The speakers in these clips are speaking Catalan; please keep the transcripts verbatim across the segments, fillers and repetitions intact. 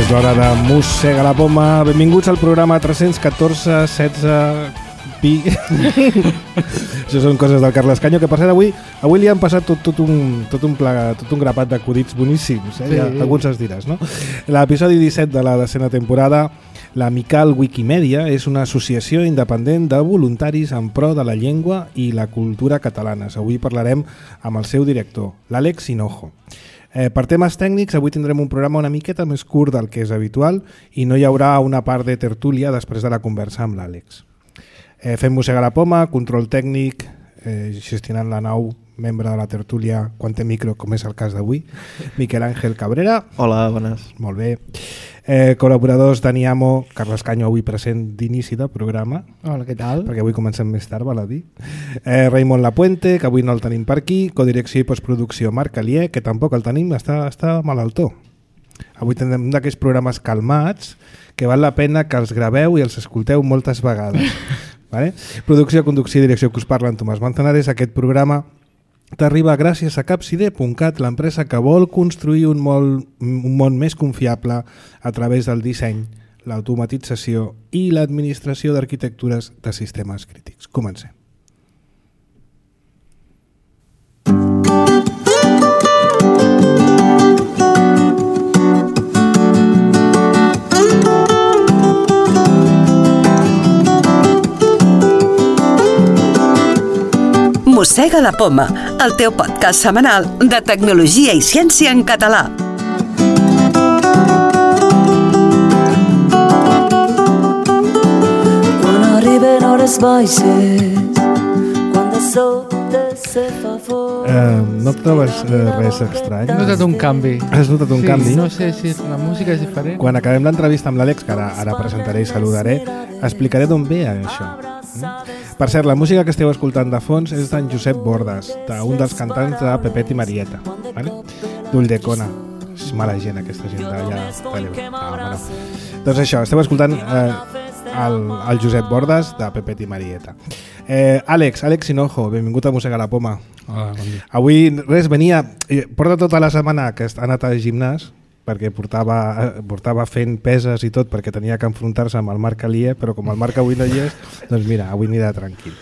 És l'hora de Mossega la Poma. Benvinguts al programa tres-cents catorze setze pi. Això són coses del Carles Canyo, que per cert avui avui li han passat tot, tot, un, tot, un, pla, tot un grapat d'acudits boníssims, eh? Sí. Ja, alguns els diràs, no? L'episodi disset de la desena temporada, l'Amical Wikimedia és una associació independent de voluntaris en pro de la llengua i la cultura catalanes. Avui parlarem amb el seu director, l'Àlex Hinojo. Eh, per temes tècnics, avui tindrem un programa una miqueta més curt del que és habitual i no hi haurà una part de tertúlia després de la conversa amb l'Àlex. Eh, fem Mossega la Poma, control tècnic, eh, gestionant la nau, membre de la tertúlia quan té micro, com és el cas d'avui, Miquel Àngel Cabrera. Hola, bones. Molt bé. Eh, col·laboradors Dani Amo, Carles Canyo avui present d'inici del programa. Hola, què tal? Perquè avui comencem més tard, val a dir. Eh, Raimon Lapuente, que avui no el tenim per aquí. Codirecció i postproducció Marc Alier, que tampoc el tenim, està, està malaltó. Avui tindrem un d'aquests programes calmats que val la pena que els graveu i els escolteu moltes vegades. Vale? Producció, conducció i direcció que us parla en Tomàs Manzanares. Aquest programa t'arriba gràcies a capcide punt cat, l'empresa que vol construir un món, un món més confiable a través del disseny, l'automatització i l'administració d'arquitectures de sistemes crítics. Comencem. Mossega la Poma, el teu podcast setmanal de tecnologia i ciència en català. Quan arriben hores baixes, quan de sobte se fa fort... Eh, no et trobes eh, res estrany? He notat un canvi. Has notat un sí, canvi? No sé si la música és diferent. Quan acabem l'entrevista amb l'Àlex, que ara, ara presentaré i saludaré, explicaré d'on ve això. Per cert, la música que esteu escoltant de fons és d'en Josep Bordas, d'un dels cantants de Pepet i Marieta, vale? d'Ulldecona. És mala gent, aquesta gent d'allà. Ah, no. Doncs això, esteu escoltant eh, el, el Josep Bordas de Pepet i Marieta. Eh, Àlex, Àlex Hinojo, benvingut a Mossega la Poma. Hola, bon dia. Avui, res, venia... Porta tota la setmana que ha anat al gimnàs, perquè portava, portava fent peses i tot perquè tenia que enfrontar-se amb el Marc Alier, però com el Marc avui no hi és, doncs mira, avui anirà tranquil.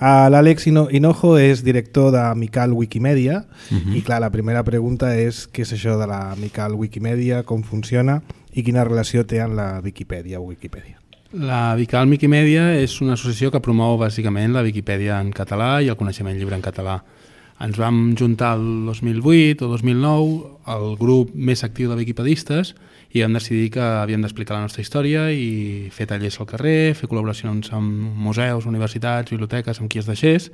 Uh, L'Àlex Hinojo és director d'Amical Wikimedia uh-huh. i clar, la primera pregunta és què és això de l'Amical Wikimedia, com funciona i quina relació té amb la Viquipèdia o Wikipedia. La Amical Wikimedia és una associació que promou bàsicament la Viquipèdia en català i el coneixement lliure en català. Ens vam juntar el dos mil vuit o dos mil nou, el grup més actiu de wikipedistes, i vam decidir que havíem d'explicar la nostra història i fer tallers al carrer, fer col·laboracions amb museus, universitats, biblioteques, amb qui es deixés,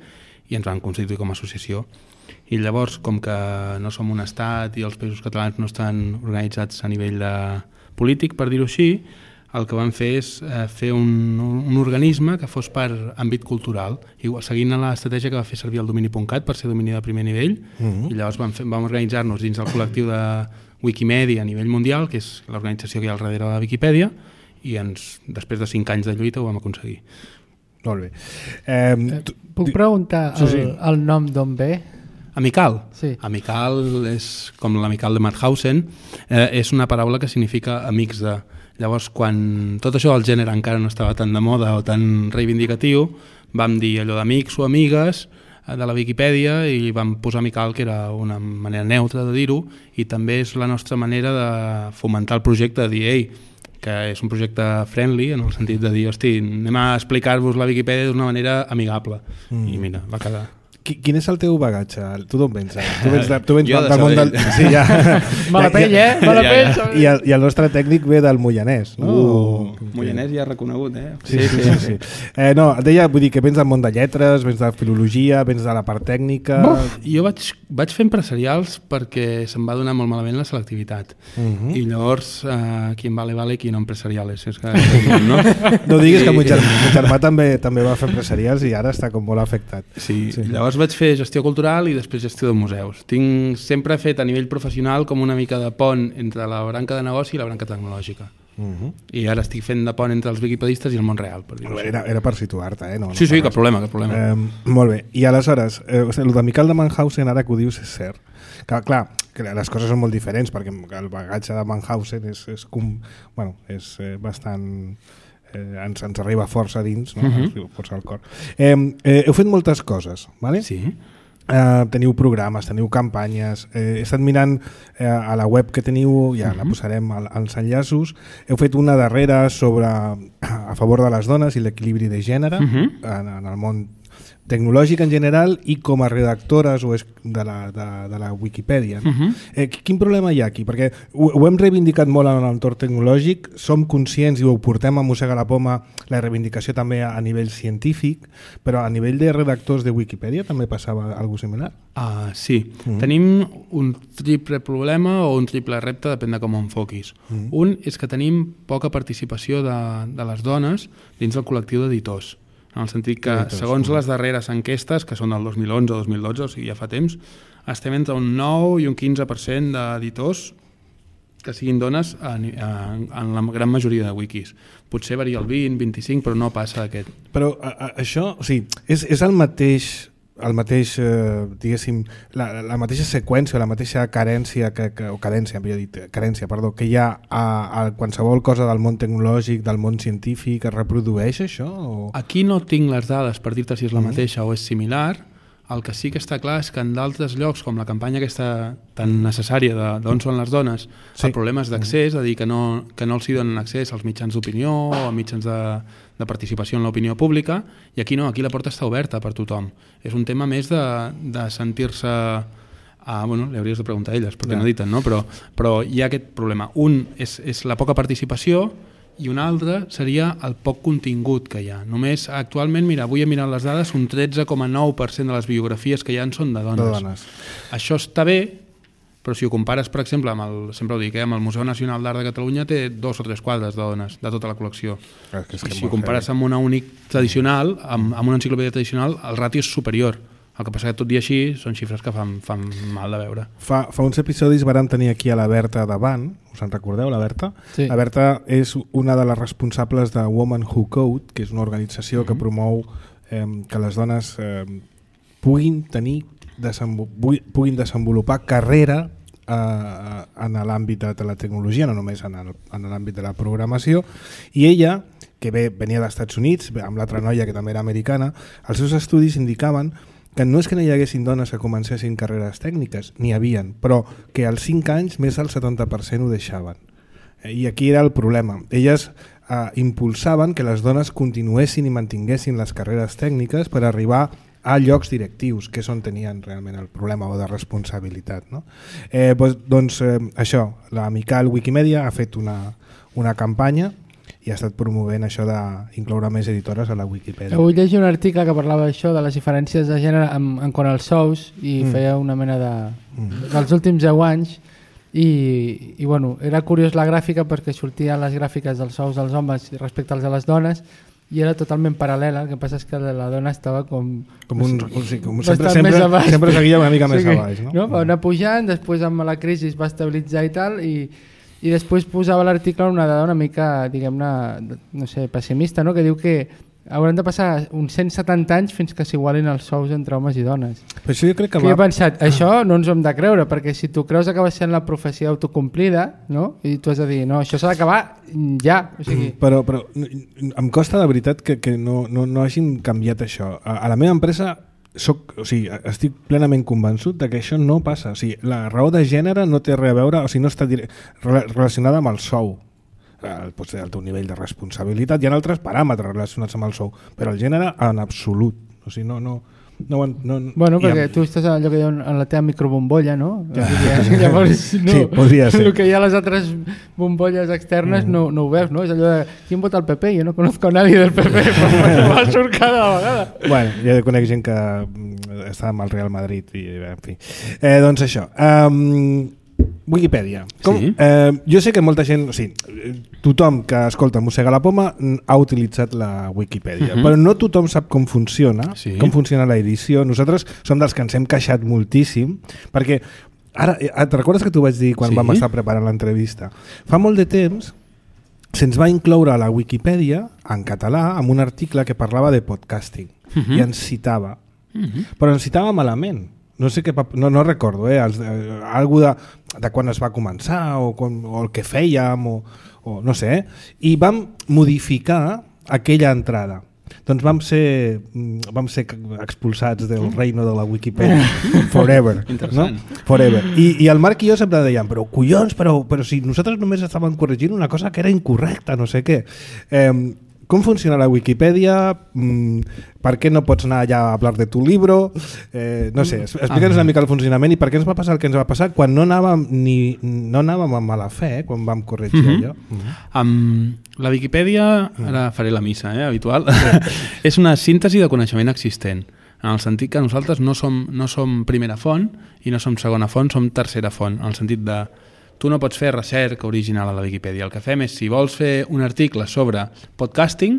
i ens vam constituir com a associació. I llavors, com que no som un estat i els països catalans no estan organitzats a nivell de polític, per dir-ho així, el que vam fer és eh, fer un, un organisme que fos per àmbit cultural, igual, seguint l'estratègia que va fer servir el domini punt cat per ser domini de primer nivell, uh-huh. i llavors vam, fer, vam organitzar-nos dins del col·lectiu de Wikimedia a nivell mundial, que és l'organització que hi ha al darrere de la Viquipèdia, i ens, després de cinc anys de lluita ho vam aconseguir. Molt bé. Eh, tu, Puc preguntar el, sí, sí. el nom d'on ve? Amical? Sí. Amical és com l'amical de Mauthausen, eh, és una paraula que significa amics de... Llavors, quan tot això del gènere encara no estava tan de moda o tan reivindicatiu, vam dir allò d'amics o amigues de la Viquipèdia i vam posar Amical, que era una manera neutra de dir-ho, i també és la nostra manera de fomentar el projecte, de dir, ei, que és un projecte friendly, en el sentit de dir, hosti, anem a explicar-vos la Viquipèdia d'una manera amigable. Mm. I mira, va quedar... Quin és el teu bagatge? Tu d'on vens? Tu vens, de, tu vens jo de del món del... Sí, ja. Mala pell, eh? Mala ja, pell. ja. I, el, I el nostre tècnic ve del Moianès, no? Uh, Moianès ja reconegut, eh? Sí, sí, sí. sí, sí. Eh, no, et deia, vull dir que vens del món de lletres, vens de filologia, vens de la part tècnica... Uf, jo vaig, vaig fer empresarials perquè se'm va donar molt malament la selectivitat. Uh-huh. I llavors, eh, qui en vale, vale, qui no empresariales. És que, no? no diguis que mon germà, mon germà també, també va fer empresarials i ara està com molt afectat. Sí, sí. Llavors vaig fer gestió cultural i després gestió de museus. Tinc sempre fet a nivell professional com una mica de pont entre la branca de negoci i la branca tecnològica. Uh-huh. I ara estic fent de pont entre els wikipedistes i el món real. Per dir-ho era, era per situar-te, eh? No, sí, no sí, cap problema, cap problema. Eh, molt bé. I aleshores, eh, o sigui, el de Miquel de Mannhausen, ara que ho dius, és cert. Que, clar, que les coses són molt diferents, perquè el bagatge de Mannhausen és, és, com, bueno, és eh, bastant... Eh, ens, ens arriba força dins, no? Uh-huh. Ens força al cor. Eh, eh, heu fet moltes coses, vale? Sí. Eh, teniu programes, teniu campanyes, eh, he estat mirant eh, a la web que teniu, ja uh-huh. la posarem al, als enllaços, heu fet una darrera sobre a favor de les dones i l'equilibri de gènere uh-huh. en, en el món tecnològic en general i com a redactores o de la, de, de la Wikipedia. Uh-huh. Eh, quin problema hi ha aquí? Perquè ho, ho hem reivindicat molt en l'entorn tecnològic, som conscients i ho portem a mossegar la poma, la reivindicació també a, a nivell científic, però a nivell de redactors de Wikipedia també passava alguna similar? Uh, sí. Uh-huh. Tenim un triple problema o un triple repte, depèn de com ho enfoquis. Uh-huh. Un és que tenim poca participació de, de les dones dins del col·lectiu d'editors. En el sentit que, segons les darreres enquestes, que són del dos mil onze o dos mil dotze, o sigui, ja fa temps, estem entre un nou i un quinze per cent d'editors que siguin dones en, en, en la gran majoria de wikis. Potser varia el vint, vint-i-cinc, però no passa d'aquest. Però a, a, això, o sigui, és, és el mateix... el mateix, eh, diguéssim, la, la mateixa seqüència, la mateixa carència, que, que, o cadència, millor dit, carència, perdó, que hi ha a, a qualsevol cosa del món tecnològic, del món científic, es reprodueix això? O... Aquí no tinc les dades per dir-te si és la mateixa mm. o és similar. El que sí que està clar és que en d'altres llocs, com la campanya aquesta tan necessària d'on són les dones, sí. el problema és d'accés, és a dir, que no, que no els hi donen accés als mitjans d'opinió o a mitjans de, de participació en l'opinió pública, i aquí no, aquí la porta està oberta per tothom. És un tema més de, de sentir-se... Ah, bueno, li hauries de preguntar a elles, perquè ja. no editen, no? Però, però hi ha aquest problema. Un és, és la poca participació, i un altre seria el poc contingut que hi ha. Només actualment, mira, avui he mirat les dades, un tretze coma nou per cent de les biografies que hi ha són de dones. De dones. Això està bé, però si ho compares, per exemple, amb el, sempre ho dic, eh, amb el Museu Nacional d'Art de Catalunya té dos o tres quadres de dones, de tota la col·lecció. És que és que si ho compares amb una únic tradicional, amb, amb una enciclopèdia tradicional, el ràtio és superior. El que passa que tot i així són xifres que fan, fan mal de veure. Fa, fa uns episodis vàrem tenir aquí a la Berta davant, us en recordeu, la Berta? Sí. La Berta és una de les responsables de Women Who Code, que és una organització mm-hmm. que promou eh, que les dones eh, puguin tenir desenvol- puguin desenvolupar carrera eh, en l'àmbit de la tecnologia, no només en, el, en l'àmbit de la programació, i ella, que ve, venia dels Estats Units, amb l'altra noia que també era americana, els seus estudis indicaven que no és que no hi haguessin dones que comencessin carreres tècniques, n'hi havien, però que als cinc anys més del setanta per cent ho deixaven. I aquí era el problema. Elles eh, impulsaven que les dones continuessin i mantinguessin les carreres tècniques per arribar a llocs directius, que és on tenien realment el problema o de responsabilitat. No? Eh, doncs doncs eh, això, l'Amical Wikimedia ha fet una, una campanya i ha estat promovent això d'incloure més editores a la Wikipedia. Avui llegir un article que parlava d'això, de les diferències de gènere en, en quant als sous, i mm. feia una mena de... Mm. dels últims deu anys, i, i bueno, era curiós la gràfica perquè sortien les gràfiques dels sous dels homes respecte als de les dones, i era totalment paral·lela. El que passa és que la dona estava com... com un, o sigui, com sempre, sempre, sempre seguia una mica més sí, a baix. No? No? Va anar pujant, després amb la crisi es va estabilitzar i tal, i... i després posava l'article una dada una mica, diguem-ne, no sé, pessimista, no? Que diu que hauran de passar uns cent setanta anys fins que s'igualin els sous entre homes i dones. Però això jo crec que, que va... jo he pensat, això no ens ho hem de creure, perquè si tu creus que acaba sent la profecia autocomplida, no? I tu has de dir, no, això s'ha d'acabar ja. O sigui... Però, però em costa de veritat que, que no, no, no hagin canviat això. A, a la meva empresa soc, o sigui, estic plenament convençut de que això no passa. O sigui, la raó de gènere no té res a veure, o sigui, no està dire, relacionada amb el sou. El, pot ser el teu nivell de responsabilitat. Hi ha altres paràmetres relacionats amb el sou, però el gènere en absolut. O sigui, no... no No, no, bueno, perquè ha... tu estàs en allò que hi ha en la teva microbombolla, no? Ja. Llavors, no, sí, podria ser. El que hi ha a les altres bombolles externes mm. no, no ho veus, no? És allò de, ¿quién vota al P P? Jo no conozco a nadie del P P, però va surt cada vegada. Bueno, jo conec gent que està amb el Real Madrid i, en fi. Eh, doncs això. Um, Wikipedia. Com, sí. eh, jo sé que molta gent, o sigui, tothom que escolta Mossega la Poma ha utilitzat la Wikipedia, uh-huh. però no tothom sap com funciona, sí. com funciona l'edició. Nosaltres som dels que ens hem queixat moltíssim, perquè ara, et recordes que t'ho vaig dir quan sí. vam estar preparant l'entrevista? Fa molt de temps se'ns va incloure a la Wikipedia en català amb un article que parlava de podcasting uh-huh. i ens citava, uh-huh. però ens citava malament. No sé què, no, no recordo, eh? Els, eh, algo de, de quan es va començar o, quan, o el que fèiem o, o no sé, eh? I vam modificar aquella entrada. Doncs vam ser, vam ser expulsats del reino de la Wikipedia forever, no? Forever. I, i el Marc i jo sempre dèiem, però collons, però, però si nosaltres només estàvem corregint una cosa que era incorrecta, no sé què. Eh, com funciona la Wikipedia? Mm, per què no pots anar allà a parlar de tu libro? Eh, no sé, explica'ns una mica el funcionament i per què ens va passar el que ens va passar quan no anàvem, ni, no anàvem amb mala fe, quan vam corregir mm-hmm. allò. Mm-hmm. Um, la Wikipedia, ara faré la missa, eh, habitual, és una síntesi de coneixement existent, en el sentit que nosaltres no som, no som primera font i no som segona font, som tercera font, en el sentit de tu no pots fer recerca original a la Wikipedia. El que fem és, si vols fer un article sobre podcasting,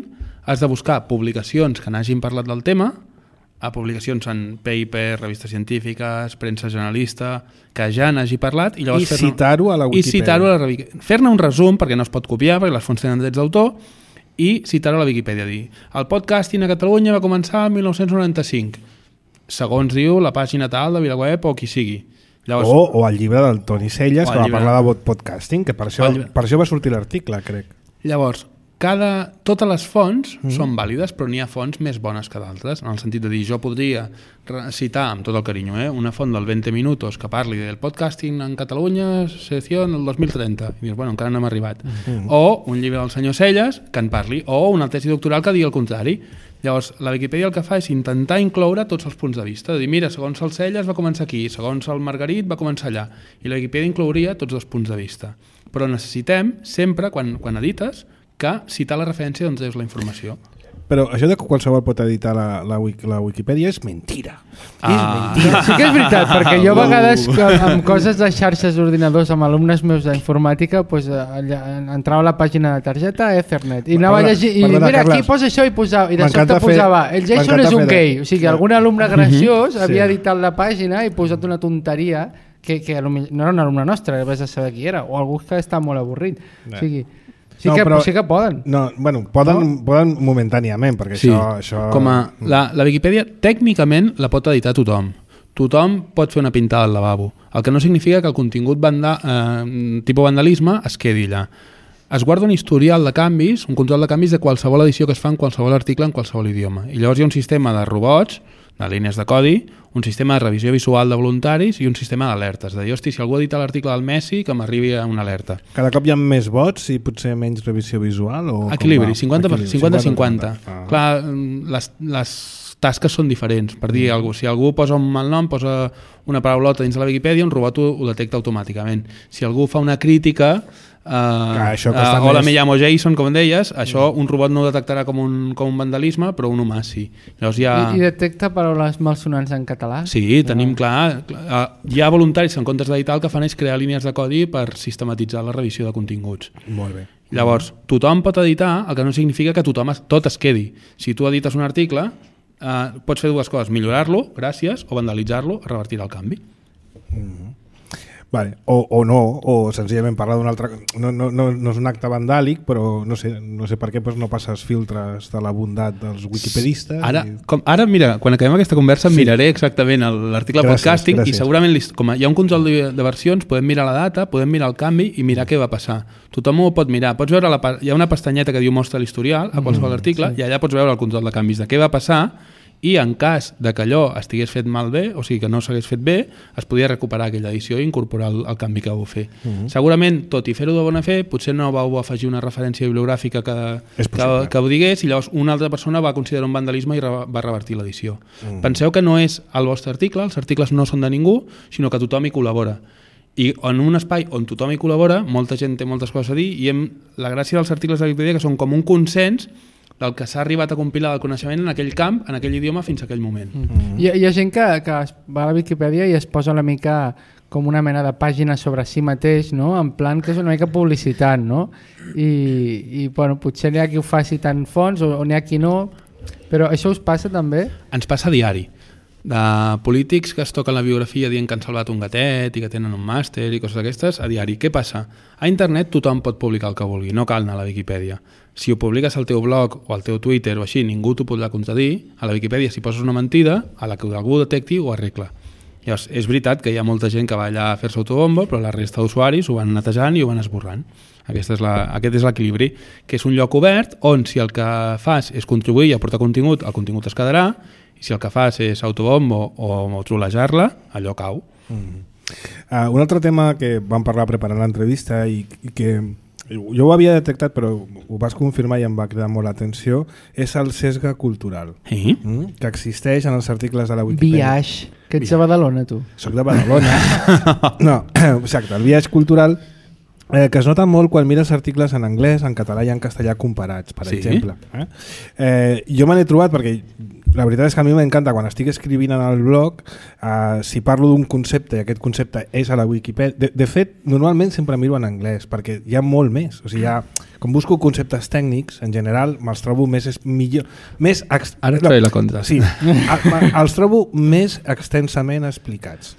has de buscar publicacions que n'hagin parlat del tema, a publicacions en paper, revistes científiques, premsa generalista, que ja n'hagi parlat, i llavors I citar-ho a la Wikipedia. I citar-ho a la Wikipedia. Fer-ne un resum, perquè no es pot copiar, perquè les fonts tenen drets d'autor, i citar-ho a la Wikipedia. Dir, el podcasting a Catalunya va començar el mil nou-cents noranta-cinc, segons diu la pàgina tal de VilaWeb o qui sigui. Llavors, o, o el llibre del Toni Celles, que va parlar de podcasting, que per això, per això va sortir l'article, crec. Llavors, cada, totes les fonts mm. són vàlides, però n'hi ha fonts més bones que d'altres, en el sentit de dir, jo podria citar, amb tot el carinyo, eh, una font del veinte minutos que parli del podcasting en Catalunya, secció en el dos mil trenta, i dius, bueno, encara no hem arribat. Mm. O un llibre del senyor Celles que en parli, o una tesi doctoral que digui el contrari. Llavors, la Wikipedia el que fa és intentar incloure tots els punts de vista, de dir, mira, segons el Celles va començar aquí, segons el Margarit va començar allà, i la Wikipedia inclouria tots els punts de vista. Però necessitem, sempre, quan, quan edites, que citar la referència d'on treus la informació. Però això de que qualsevol pot editar la, la, la Wikipedia és mentira. Ah. És mentira. Sí que és veritat, perquè jo a vegades amb coses de xarxes d'ordinadors amb alumnes meus d'informàtica pues, allà, entrava a la pàgina de targeta Ethernet i anava a llegir i perdona, mira, Carles, aquí posa això i, posava, i de sobte posava el Jason és un gay. O sigui, algun alumne graciós uh-huh. havia editat la pàgina i posat una tonteria que, que no era un alumne nostre, vés a saber qui era, o algú que està molt avorrit. O sigui, sí, no, que, però, sí que poden. No, bueno, poden, no? poden momentàniament, perquè sí. això... això... Com a, la, la Wikipedia tècnicament la pot editar tothom. Tothom pot fer una pintada al lavabo. El que no significa que el contingut vanda, eh, tipus vandalisme es quedi allà. Es guarda un historial de canvis, un control de canvis de qualsevol edició que es fa en qualsevol article en qualsevol idioma. I llavors hi ha un sistema de robots, de línies de codi, un sistema de revisió visual de voluntaris i un sistema d'alertes. De dir, hosti, si algú edita l'article del Messi, que m'arribi una alerta. Cada cop hi ha més vots i potser menys revisió visual? O equilibri, cinquanta cinquanta. Ah. Clar, les, les tasques són diferents. Per dir, mm. si algú posa un mal nom, posa una paraulota dins de la Wikipedia, un robot ho, ho detecta automàticament. Si algú fa una crítica... Uh, uh, hola, me llamo Jason, com deies, això un robot no ho detectarà com un, com un vandalisme, però un humà sí. Llavors hi ha... I, I detecta paraules malsonants en català? Sí, tenim clar, clar uh, hi ha voluntaris en comptes d'editar el que fan és crear línies de codi per sistematitzar la revisió de continguts. Molt bé. Llavors, tothom pot editar, el que no significa que tothom es, tot es quedi. Si tu edites un article, uh, pots fer dues coses, millorar-lo, gràcies, o vandalitzar-lo, revertir el canvi. Mm-hmm. Vale. O, o no, o senzillament parlar d'un altre... No, no, no, no és un acte vandàlic, però no sé, no sé per què doncs no passes filtres de la bondat dels wikipedistes. Ara, i... com, ara mira, quan acabem aquesta conversa sí. miraré exactament l'article de podcasting gràcies. I segurament, com hi ha un control de, de versions, podem mirar la data, podem mirar el canvi i mirar què va passar. Tothom ho pot mirar. Pots veure, la, hi ha una pestanyeta que diu mostra l'historial a qualsevol mm, article sí. i allà pots veure el control de canvis de què va passar i en cas de que allò estigués fet malbé, o sigui que no s'hagués fet bé, es podia recuperar aquella edició i incorporar el, el canvi que vau fer. Uh-huh. Segurament, tot i fer-ho de bona fe, potser no vau afegir una referència bibliogràfica que, que, que ho digués i llavors una altra persona va considerar un vandalisme i re, va revertir l'edició. Uh-huh. Penseu que no és el vostre article, els articles no són de ningú, sinó que tothom hi col·labora. I en un espai on tothom hi col·labora, molta gent té moltes coses a dir i hem, la gràcia dels articles de Wikipedia que són com un consens del que s'ha arribat a compilar del coneixement en aquell camp, en aquell idioma, fins a aquell moment. Mm-hmm. Hi, ha, hi ha gent que, que va a la Wikipedia i es posa una mica com una mena de pàgina sobre si mateix, no? En plan que és una mica publicitat, no? I, i bueno, potser n'hi ha qui ho faci tan fons o, o n'hi ha qui no, però això us passa també? Ens passa a diari. de polítics que es toquen la biografia dient que han salvat un gatet i que tenen un màster i coses d'aquestes a diari. Què passa? A internet tothom pot publicar el que vulgui, no cal anar a la Viquipèdia. Si ho publiques al teu blog o al teu Twitter o així, ningú t'ho podrà contradir. A la Viquipèdia, si poses una mentida, a la que algú detecti ho arregla. Llavors, és veritat que hi ha molta gent que va allà a fer-se autobombo, però la resta d'usuaris ho van netejant i ho van esborrant. Aquest és, la, aquest és l'equilibri, que és un lloc obert on si el que fas és contribuir i aportar contingut, el contingut es quedarà, i si el que fas és autobombo o trolejar-la, allò cau. Mm. Uh, un altre tema que vam parlar preparant l'entrevista i, i que jo ho havia detectat però ho vas confirmar i em va cridar molt l'atenció, és el sesga cultural, sí? mm? que existeix en els articles de la Wikipedia. Biaix, que ets de Badalona tu. Soc de Badalona. No, exacte, el biaix cultural eh, que es nota molt quan mires articles en anglès, en català i en castellà comparats, per sí? exemple. Eh? Eh, jo me n'he trobat perquè la veritat és que a mi m'encanta quan estic escrivint en el blog, eh, si parlo d'un concepte i aquest concepte és a la Wikipedia, de, de fet normalment sempre miro en anglès perquè hi ha molt més, o sigui, hi ha, com busco conceptes tècnics en general me'ls trobo més és millor més ex... ara et faré la contra. Sí, a, a, els trobo més extensament explicats.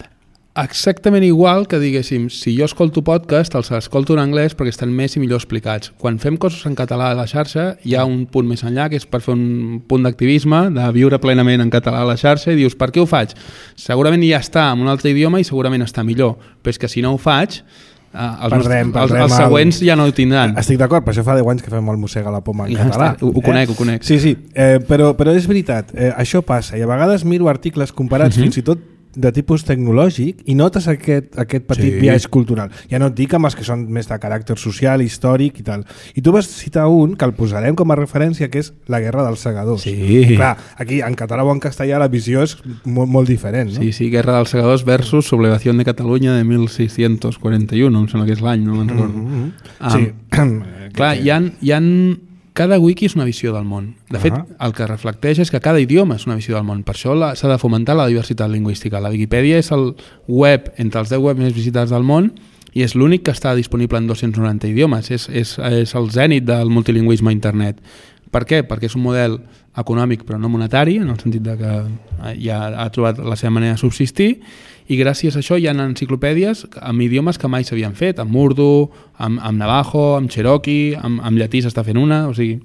Exactament igual que diguéssim, si jo escolto podcast els escolto en anglès perquè estan més i millor explicats. Quan fem coses en català a la xarxa hi ha un punt més enllà que és per fer un punt d'activisme, de viure plenament en català a la xarxa i dius, per què ho faig? Segurament ja està en un altre idioma i segurament està millor, però és que si no ho faig Uh, els, perdrem, els, perdrem els següents ja no ho tindran. Estic d'acord, per això fa deu anys que fem el Mossega la Poma en ja català. Està, ho, ho conec, eh? ho conec. Sí, sí, eh, però, però és veritat, eh, això passa i a vegades miro articles comparats uh-huh. fins i tot de tipus tecnològic i notes aquest, aquest petit sí. viatge cultural. Ja no et dic amb els que són més de caràcter social, històric i tal. I tu vas citar un que el posarem com a referència, que és La Guerra dels Segadors. Sí. Clar, aquí en català o en castellà la visió és molt, molt diferent, no? Sí, sí, Guerra dels Segadors versus Sublevació de Catalunya de mil sis-cents quaranta-u, em sembla que és l'any, no me'n recordo. Mm-hmm. Um, sí. Clar, hi ha, hi ha... Cada wiki és una visió del món. De fet, uh-huh. el que reflecteix és que cada idioma és una visió del món. Per això la, s'ha de fomentar la diversitat lingüística. La Viquipèdia és el web entre els deu webs més visitats del món i és l'únic que està disponible en dos-cents noranta idiomes. És, és, és el zènit del multilingüisme a internet. Per què? Perquè és un model econòmic però no monetari, en el sentit de que ja ha trobat la seva manera de subsistir, i gràcies a això hi ha enciclopèdies amb idiomes que mai s'havien fet, amb urdu, amb, amb navajo, amb cherokee, amb, amb llatí s'està fent una, o sigui...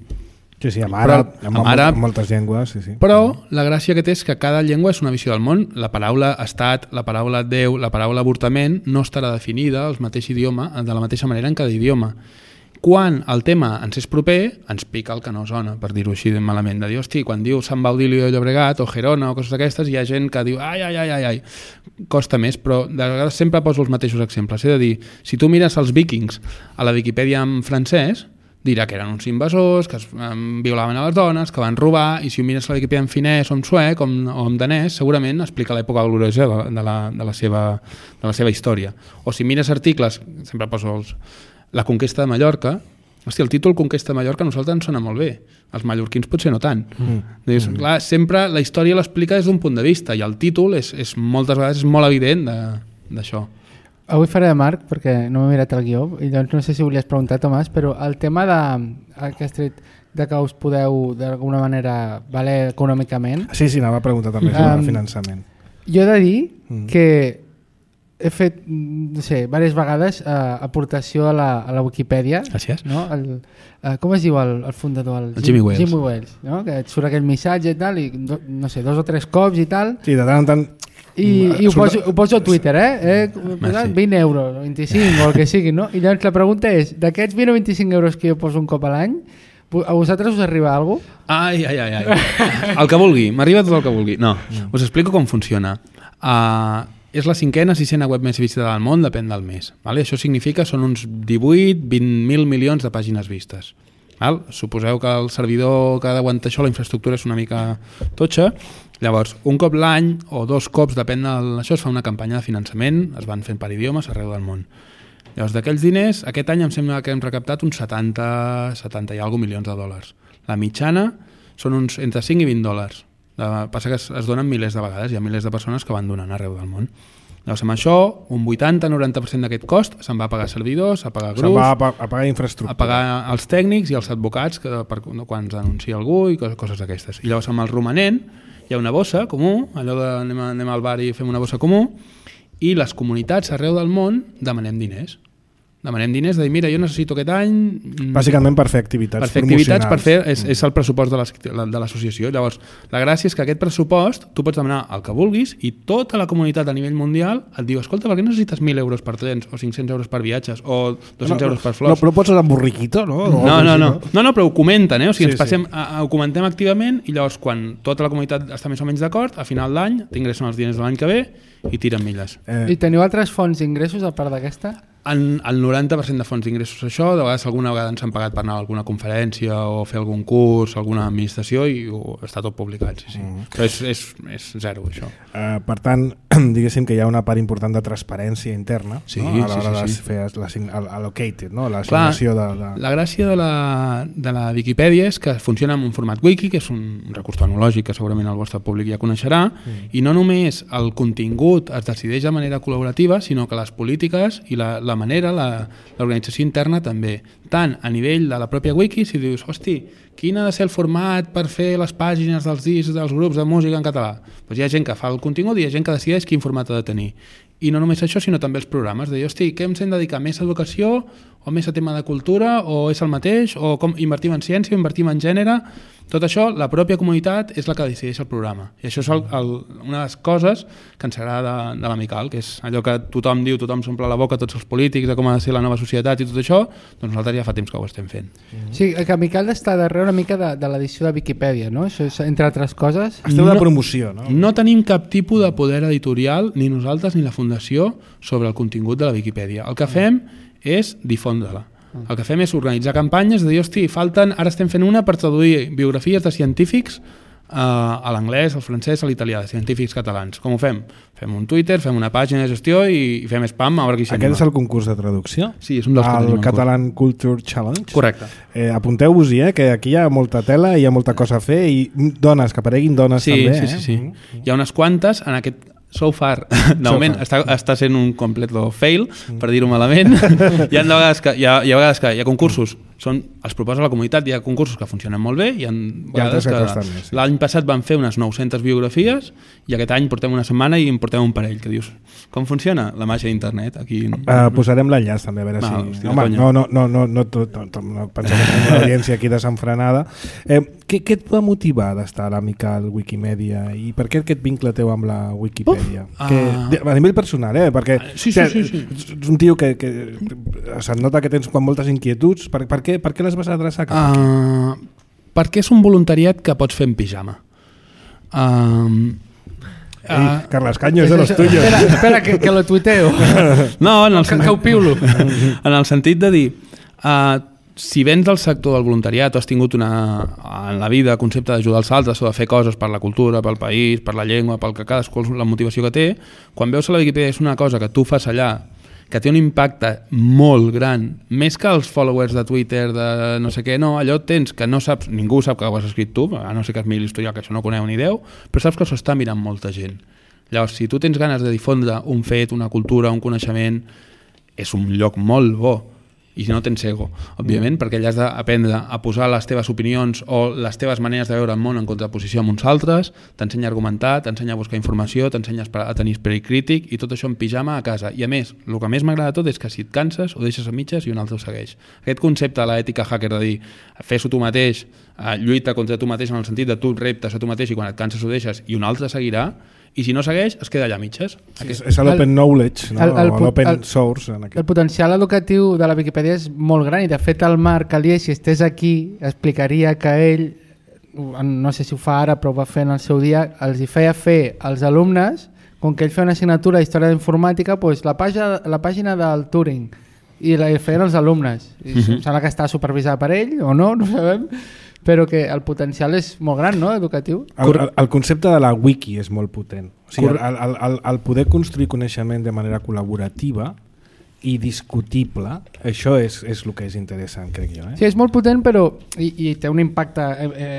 Sí, sí, amb àrab, però, amb, amb, àrab, amb moltes llengües, sí, sí. Però la gràcia que té és que cada llengua és una visió del món. La paraula estat, la paraula Déu, la paraula avortament no estarà definida al mateix idioma, de la mateixa manera en cada idioma. Quan el tema ens és proper, ens pica el que no sona, per dir-ho així malament, de dir, hosti, quan diu Sant Baudilio de Llobregat o Gerona o coses d'aquestes, hi ha gent que diu, ai, ai, ai, ai, ai, costa més, però de vegades sempre poso els mateixos exemples. És a dir, si tu mires els vikings a la Viquipèdia en francès, dirà que eren uns invasors, que es um, violaven a les dones, que van robar, i si ho mires a la Viquipèdia en finès o en suec o en, o en danès, segurament explica l'època gloriosa de, de, la, de, la seva, de la seva història. O si mires articles, sempre poso els... La conquesta de Mallorca, hosti, el títol Conquesta de Mallorca a nosaltres ens sona molt bé, els mallorquins potser no tant. Mm. Dius, mm. clar, sempre la història l'explica des d'un punt de vista i el títol és, és moltes vegades és molt evident d'això. Avui faré de Marc perquè no m'he mirat el guió i doncs no sé si volies preguntar, Tomàs, però el tema de, el que has tret, de que us podeu d'alguna manera valer econòmicament... Sí, sí, anava a preguntar també sobre um, el finançament. Jo he de dir mm. que he fet, no sé, diverses vegades eh, aportació a la, a la Wikipedia. Gràcies. No? El, eh, com es diu el, el fundador? El, el Jimmy Wales. Jimmy Wales, no? Que et surt aquell missatge i tal, i do, no sé, dos o tres cops i tal. Sí, de tant en tant... I, i ho, poso, ho poso a Twitter, eh? eh vint euros, vint-i-cinc o el que sigui, no? I llavors la pregunta és, d'aquests vint o vint-i-cinc euros que jo poso un cop a l'any, a vosaltres us arriba alguna cosa? Ai, ai, ai, ai. El que vulgui, m'arriba tot el que vulgui. No, us explico com funciona. Uh, és la cinquena, sisena web més visitada del món, depèn del mes. Vale? Això significa són uns divuit a vint mil milions de pàgines vistes. Val? Suposeu que el servidor que ha d'aguantar això, la infraestructura és una mica totxa. Llavors, un cop l'any o dos cops, depèn d'això, es fa una campanya de finançament, es van fent per idiomes arreu del món. Llavors, d'aquells diners, aquest any em sembla que hem recaptat uns setanta, setanta i alguna milions de dòlars. La mitjana són uns entre cinc i vint dòlars. La, passa que es, es donen milers de vegades, hi ha milers de persones que van donant arreu del món. Llavors, amb això, un vuitanta a noranta per cent d'aquest cost se'n va a pagar servidors, a pagar grups, se'n va a, pa a pagar infraestructura, a pagar els tècnics i els advocats que, per, quan ens denuncia algú i coses, coses d'aquestes. I llavors, amb el romanent, hi ha una bossa comú, allò de anem, a, anem al bar i fem una bossa comú, i les comunitats arreu del món demanem diners. Demanem diners de dir, mira, jo necessito aquest any... Bàsicament per fer activitats per fer activitats, per fer, és, és el pressupost de l'associació. Llavors, la gràcia és que aquest pressupost tu pots demanar el que vulguis i tota la comunitat a nivell mundial et diu, escolta, per què necessites mil euros per trens o cinc-cents euros per viatges o dos-cents no, euros per flors? No, però pots anar amb borriquito, no? No, no, no, no, no, no però ho comenten, eh? O sigui, sí, ens passem, sí. a, ho comentem activament i llavors quan tota la comunitat està més o menys d'acord, a final d'any t'ingressen els diners de l'any que ve i tiren milles. Eh. I teniu altres fonts d'ingressos a part d'aquesta? En el noranta per cent de fonts d'ingressos això, de vegades alguna vegada ens han pagat per anar a alguna conferència o fer algun curs, alguna administració i ho, està tot publicat, sí, sí. Mm. Però és, és, és zero, això. Uh, per tant, diguéssim que hi ha una part important de transparència interna, sí, no? A l'hora sí, sí, sí. de fer l'allocated, no? L'assignació de, de... La gràcia de la, de la Viquipèdia és que funciona en un format wiki, que és un recurs tecnològic que segurament el vostre públic ja coneixerà, mm. i no només el contingut es decideix de manera col·laborativa, sinó que les polítiques i la, la manera, l'organització interna també, tant a nivell de la pròpia wiki, si dius, hosti, quin ha de ser el format per fer les pàgines dels discs dels grups de música en català? Doncs hi ha gent que fa el contingut i hi ha gent que decideix quin format ha de tenir. I no només això, sinó també els programes, de dir, hosti, què ens hem de dedicar? Més a educació o més a tema de cultura o és el mateix? O com invertim en ciència o invertim en gènere? Tot això, la pròpia comunitat és la que decideix el programa. I això és el, el, una de les coses que ens agrada de, de l'Amical, que és allò que tothom diu, tothom s'omple la boca, tots els polítics, de com ha de ser la nova societat i tot això, doncs nosaltres ja fa temps que ho estem fent. Mm-hmm. Sí, que Amical està darrere una mica de, de l'edició de Viquipèdia, no? Això és, entre altres coses. Esteu de promoció, no? No tenim cap tipus de poder editorial, ni nosaltres ni la Fundació, sobre el contingut de la Viquipèdia. El que fem és difondre-la. El que fem és organitzar campanyes de dir, hosti, falten, ara estem fent una per traduir biografies de científics uh, a l'anglès, al francès, a l'italià, de científics catalans. Com ho fem? Fem un Twitter, fem una pàgina de gestió i, i fem spam a veure qui s'anima. Aquest és el concurs de traducció? Sí, és un dels que tenim en curs. El Catalan Culture Challenge? Correcte. Eh, Apunteu-vos-hi, eh, que aquí hi ha molta tela, hi ha molta cosa a fer i dones, que apareguin dones sí, també. Sí, sí, sí. Eh? Mm. Hi ha unes quantes en aquest... So far, de moment està, està sent un complet fail, per dir-ho malament. Hi ha vegades que hi ha, hi ha vegades que hi ha concursos, són, els proposa la comunitat, hi ha concursos que funcionen molt bé, hi ha vegades que, que més, sí. L'any passat van fer unes nou-centes biografies i aquest any portem una setmana i en portem un parell, que dius, com funciona la màgia d'internet? Aquí... Uh, posarem l'enllaç també, a veure no, si... Home, no, no, no, no, no, tot, no, no pensem que tenim una audiència aquí desenfrenada. Eh, què, què et va motivar d'estar a l'Amical Wikimedia i per què aquest vincle teu amb la Wikipedia? Uh, que, a nivell personal, eh? Perquè sí, sí, sí, sí. ets un tio que, que se't nota que tens moltes inquietuds. Per, per, què, per què les vas adreçar cap aquí? Uh, perquè és un voluntariat que pots fer en pijama. Uh, Ei, uh, Carles Caño és de los tuyos. Espera, espera que, que lo tuiteo. No, en el, que, que ho piulo. En el sentit de dir... Uh, si vens del sector del voluntariat o has tingut una, en la vida concepte d'ajudar els altres o de fer coses per la cultura, pel país, per la llengua, pel que cadascú la motivació que té, quan veus que la Viquipèdia és una cosa que tu fas allà, que té un impacte molt gran, més que els followers de Twitter, de no sé què, no, allò tens que no saps, ningú sap que ho has escrit tu, a no ser que has mirat l'historial, que això no coneu ni Déu, però saps que això està mirant molta gent. Llavors, si tu tens ganes de difondre un fet, una cultura, un coneixement, és un lloc molt bo. I si no tens ego, òbviament, mm. perquè allà has d'aprendre a posar les teves opinions o les teves maneres de veure el món en contraposició amb uns altres, t'ensenya a argumentar, t'ensenya a buscar informació, t'ensenya a tenir esperit crític i tot això en pijama a casa. I a més, el que més m'agrada tot és que si et canses ho deixes a mitges i un altre ho segueix. Aquest concepte de l'ètica hacker de dir fes-ho tu mateix, lluita contra tu mateix en el sentit de tu reptes a tu mateix i quan et canses ho deixes i un altre seguirà, i si no segueix, es queda allà a mitges. Sí, és l'open knowledge, no? L'open source. En aquest. El potencial educatiu de la Viquipèdia és molt gran i de fet el Marc Alier, si estés aquí, explicaria que ell, no sé si ho fa ara però ho va fer en el seu dia, els hi feia fer als alumnes, com que ell feia una assignatura d'història d'informàtica, doncs la, pàgina, la pàgina del Turing i la feien els alumnes. I uh-huh. Sembla que està supervisada per ell o no, no sabem, però que el potencial és molt gran, no?, educatiu. El, el, el concepte de la wiki és molt potent. O sigui, el, el, el, el poder construir coneixement de manera col·laborativa i discutible, això és, és el que és interessant, crec jo. Eh? Sí, és molt potent, però i, i té un impacte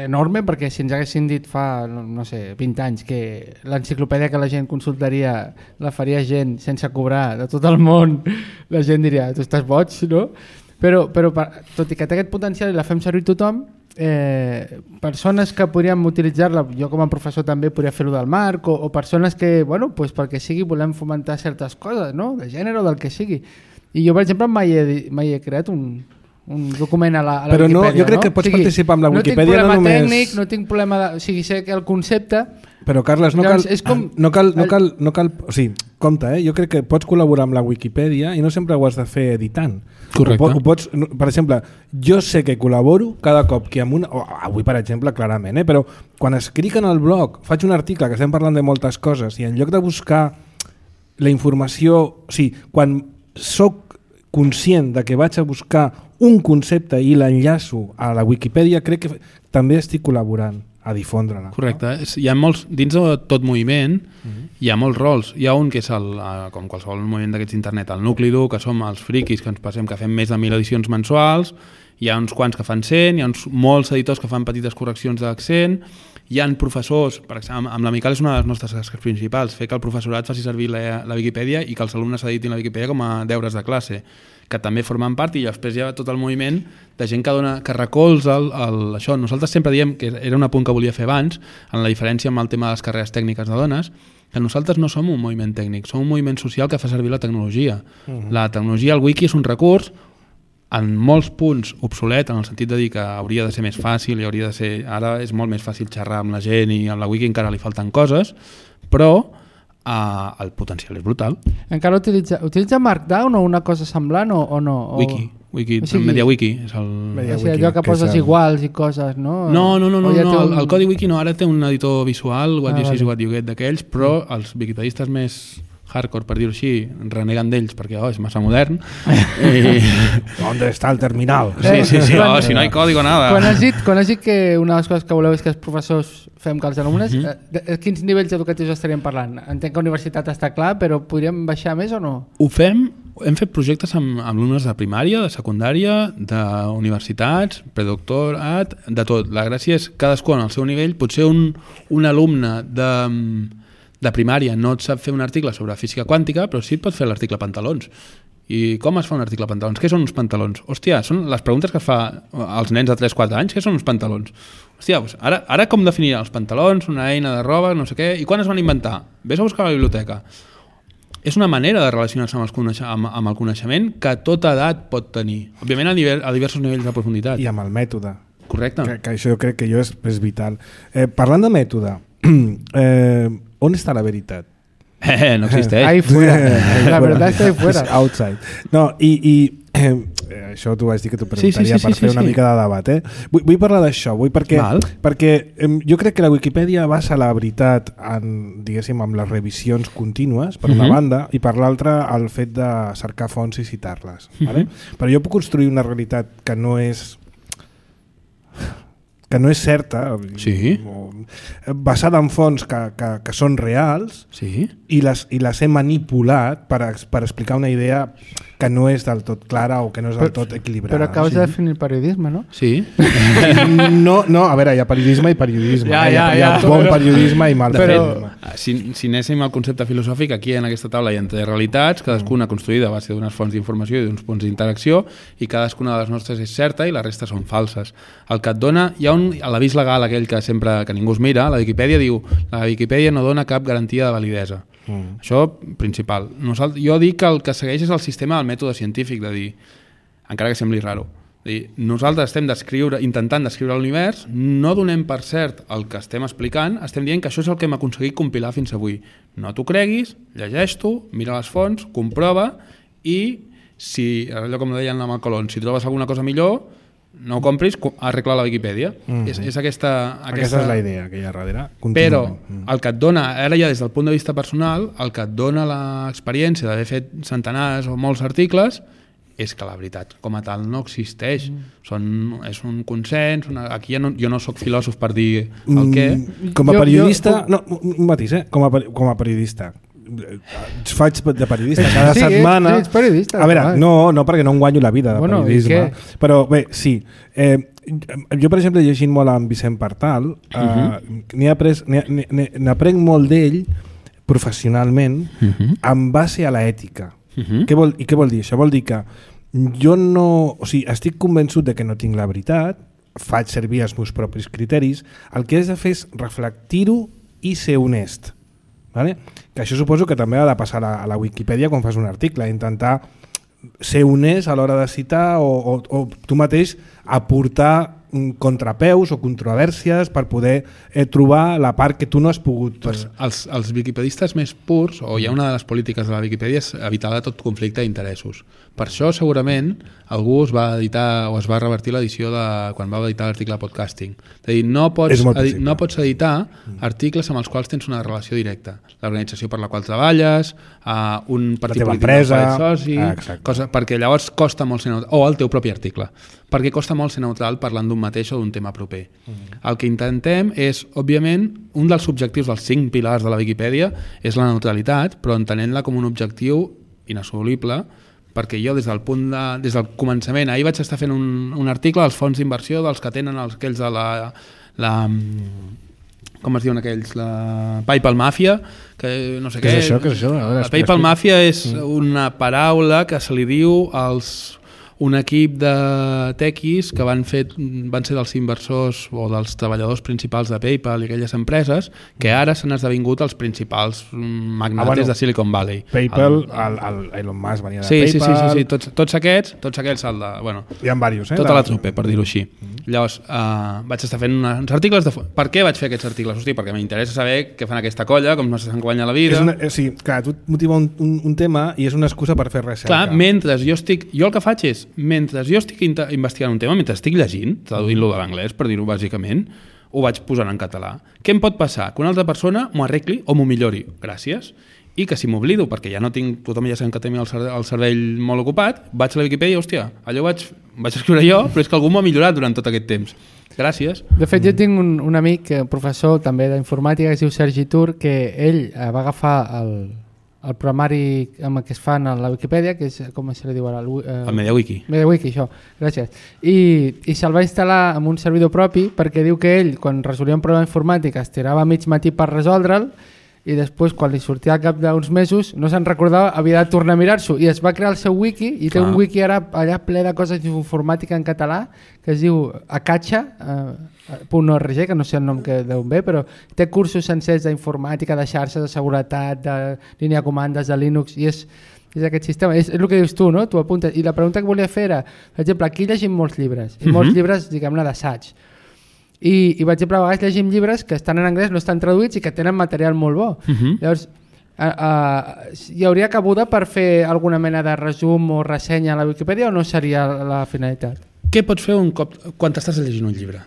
enorme, perquè si ens haguessin dit fa, no sé, vint anys que l'enciclopèdia que la gent consultaria la faria gent sense cobrar de tot el món, la gent diria, tu estàs boig, no? Però, però tot i que té aquest potencial i la fem servir tothom, eh, persones que podríem utilitzar-la, jo com a professor també podria fer-ho del Marc, o, o persones que, bueno, pues perquè sigui volem fomentar certes coses, no? De gènere o del que sigui. I jo, per exemple, mai he, mai he creat un, un document a la, a la Però Wikipedia. No, jo crec no? que pots o sigui, participar amb la Wikipedia no no només... tècnic, no tinc problema de... O sigui, sé que el concepte... Però, Carles, no cal, Llavors, és com- no cal, no cal, no cal, o sigui, compte, eh? Jo crec que pots col·laborar amb la Wikipedia i no sempre ho has de fer editant. Correcte. Ho, po- ho pots, no, per exemple, jo sé que col·laboro cada cop que amb una... o avui, per exemple, clarament, eh? Però quan escric en el blog, faig un article que estem parlant de moltes coses i en lloc de buscar la informació... O sigui, quan soc conscient de que vaig a buscar un concepte i l'enllaço a la Wikipedia, crec que també estic col·laborant a difondre-la. Correcte. No? Hi ha molts, dins de tot moviment uh-huh. hi ha molts rols. Hi ha un que és, el, com qualsevol moviment d'aquests internet, el nucli dur, que som els friquis que ens passem, que fem més de mil edicions mensuals, hi ha uns quants que fan cent, hi ha uns, molts editors que fan petites correccions d'accent, hi ha professors, per exemple, amb la Miquel és una de les nostres tasques principals, fer que el professorat faci servir la, la Wikipedia i que els alumnes editin la Wikipedia com a deures de classe, que també formen part, i després hi ha tot el moviment de gent que dona, que recolza el, el, això. Nosaltres sempre diem, que era un apunt que volia fer abans, en la diferència amb el tema de les carreres tècniques de dones, que nosaltres no som un moviment tècnic, som un moviment social que fa servir la tecnologia. Uh-huh. La tecnologia, el wiki, és un recurs en molts punts obsolet, en el sentit de dir que hauria de ser més fàcil i hauria de ser... Ara és molt més fàcil xerrar amb la gent i a la wiki encara li falten coses, però Uh, el potencial és brutal. Encara utilitza, utilitza Markdown o una cosa semblant o, o no? O... Wiki, Wiki, o sigui, MediaWiki és el... o sigui, allò que, que poses el... iguals i coses, no? No, no, no, no, ja no. un... el, el codi Wiki no, ara té un editor visual, what ah, you see is vale. what you get d'aquells, però els wikipedistes més hardcore, per dir-ho així, reneguen d'ells perquè oh, és massa modern. I... On està el terminal? Sí, sí, sí, oh, si no hi código nada. Quan has dit, quan has dit que una de les coses que voleu és que els professors fem que els alumnes, Mhm. eh, de, de quins nivells educatius estaríem parlant? Entenc que universitat està clar, però podríem baixar més o no? Ho fem, hem fet projectes amb, amb alumnes de primària, de secundària, d'universitats, predoctorat, de tot. La gràcia és cadascú en el seu nivell. Potser un, un alumne de, de primària no et sap fer un article sobre física quàntica, però sí et pot fer l'article pantalons. I com es fa un article pantalons? Què són uns pantalons? Hòstia, són les preguntes que es fa als nens de tres quatre anys. Què són uns pantalons? Hòstia, doncs ara, ara com definiran els pantalons, una eina de roba, no sé què, i quan es van inventar? Ves a buscar a la biblioteca. És una manera de relacionar-se amb, els, amb, amb el coneixement que tota edat pot tenir. Òbviament a, nivell, a diversos nivells de profunditat. I amb el mètode. Correcte. Que, que això jo crec que jo és, és vital. Eh, parlant de mètode, eh, on està la veritat? Eh, no existeix. Ahí fuera. La verdad está ahí fuera. Outside. No, i, i eh, això t'ho vaig dir que t'ho preguntaria sí, sí, sí, per sí, fer sí, una sí. mica de debat. Eh? Vull, vull parlar d'això, vull perquè, Val. perquè eh, jo crec que la Wikipedia basa la veritat en, diguéssim, amb les revisions contínues, per una Mhm. banda, i per l'altra el fet de cercar fonts i citar-les. Mhm. Vale? Però jo puc construir una realitat que no és que no és certa, Sí. o, basada en fonts que, que, que són reals, Sí. i les, i les he manipulat per, ex- per explicar una idea que no és del tot clara o que no és del tot equilibrada. Però acabes Sí. de definir periodisme, no? Sí. No, no, a veure, hi ha periodisme i periodisme. Ja, eh? Hi ha, ja, hi ha ja. bon periodisme i mal De periodisme. fet, si, si anéssim al concepte filosòfic, aquí en aquesta taula hi ha tres realitats, cadascuna construïda a base d'unes fonts d'informació i d'uns punts d'interacció, i cadascuna de les nostres és certa i la resta són falses. El que et dona, hi ha un, a l'avís legal aquell que sempre que ningú es mira, la Wikipedia diu la Wikipedia no dona cap garantia de validesa. Mm. Això, principal. Nosaltres, jo dic que el que segueix és el sistema del mètode científic, de dir, encara que sembli raro, de dir, nosaltres estem descriure, intentant descriure l'univers, no donem per cert el que estem explicant, estem dient que això és el que hem aconseguit compilar fins avui. No t'ho creguis, llegeix-t'ho, mira les fonts, comprova, i si, allò com deien amb el Colón, si trobes alguna cosa millor, no ho compris, arregla la Wikipedia. Mm-hmm. és, és aquesta, aquesta... Aquesta és la idea que hi ha darrere. Però Contínuament. el que et dona, ara ja des del punt de vista personal, el que et dona l'experiència d'haver fet centenars o molts articles és que la veritat com a tal no existeix. Mm. Són, és un consens, una, aquí ja no, jo no sóc filòsof per dir el què. Mm, com a Jo- periodista... jo- No, un matís, eh? Com a, peri- com a periodista. Faig de periodista cada Sí, setmana. sí, ets periodista, A veure, clar. no, no, perquè no em guanyo la vida de Bueno, i periodisme. què? Però bé, sí. Eh, jo, per exemple, llegint molt amb Vicent Partal, eh, Mhm. n'he après, n'he- n'he- n'aprenc molt d'ell professionalment Mhm. en base a l'ètica. Mhm. Què vol, I què vol dir? Això vol dir que jo no... O sigui, estic convençut de que no tinc la veritat, faig servir els meus propis criteris, el que has de fer és reflectir-ho i ser honest. Vale? Que això suposo que també ha de passar a la Wikipedia quan fas un article, intentar ser honest a l'hora de citar o, o, o tu mateix aportar contrapeus o controvèrsies per poder eh, trobar la part que tu no has pogut... Pues els, els wikipedistes més purs, o hi ha una de les polítiques de la Wikipedia, és evitar de tot conflicte d'interessos. Per això segurament algú es va editar o es va revertir l'edició de quan va editar l'article de podcasting. És a dir, no pots, edi, no pots editar articles amb els quals tens una relació directa. L'organització per la qual treballes, uh, un partit polític empresa, soci, ah, cosa, perquè llavors costa molt ser neutral, o el teu propi article, perquè costa molt ser neutral parlant d'un mateix o d'un tema proper. Mm. El que intentem és, òbviament, un dels objectius dels cinc pilars de la Wikipedia és la neutralitat, però entenent-la com un objectiu inassolible, perquè jo des del punt de, des del començament, ahir vaig estar fent un, un article dels fons d'inversió dels que tenen els, aquells de la, la com es diuen aquells, la PayPal Mafia, que no sé què. Què és això? Què és això? Veure, la PayPal Mafia és una paraula que se li diu als un equip de tequis que van, fer, van ser dels inversors o dels treballadors principals de PayPal i aquelles empreses que ara s'han esdevingut els principals magnates ah, bueno, de Silicon Valley. PayPal, el, el, el Elon Musk venia de sí, PayPal... Sí, sí, sí, sí. Tots, tots aquests, tots aquests el de, bueno, hi ha diversos, eh? Tota la trupe, per dir-ho així. Mm-hmm. Llavors, uh, vaig estar fent uns articles de... Per què vaig fer aquests articles? Hosti, perquè m'interessa saber què fan aquesta colla, com no s'han guanyat la vida... És una, sí, clar, tu et motiva un, un, un tema i és una excusa per fer recerca. Clar, mentre jo estic... Jo el que faig és, mentre jo estic investigant un tema, mentre estic llegint, traduint-lo de l'anglès, per dir-ho bàsicament, ho vaig posant en català. Què em pot passar? Que una altra persona m'ho arregli o m'ho millori. Gràcies. I que si m'oblido, perquè ja no tinc, tothom ja sabem que té el cervell molt ocupat, vaig a la Wikipedia i, hòstia, allò vaig, vaig escriure jo, però és que algú m'ho ha millorat durant tot aquest temps. Gràcies. De fet, jo tinc un, un amic, professor també d'informàtica, que es diu Sergi Tur, que ell va agafar el... el programari amb el que es fan a la Wikipedia, que és, com se li diu ara? El, eh, el MediaWiki. MediaWiki, això, gràcies. I, i se'l va instal·lar amb un servidor propi perquè diu que ell, quan resolia un problema informàtic, es tirava mig matí per resoldre'l i després, quan li sortia al cap d'uns mesos, no se'n recordava, havia de tornar a mirar-s'ho. I es va crear el seu wiki, i té Clar. un wiki ara allà ple de coses d'informàtica en català, que es diu acacha punt org, que no sé el nom que d'on ve, però té cursos sencers d'informàtica, de xarxes, de seguretat, de línia de comandes, de Linux, i és, és aquest sistema. És, és el que dius tu, no? Tu apuntes. I la pregunta que volia fer era, per exemple, aquí llegim molts llibres, i molts mm-hmm. llibres, diguem-ne, d'assaig. I, i per exemple, a vegades llegim llibres que estan en anglès, no estan traduïts i que tenen material molt bo. Uh-huh. Llavors, a, a, hi hauria cabuda per fer alguna mena de resum o ressenya a la Wikipedia o no seria la finalitat? Què pots fer un cop quan t'estàs llegint un llibre?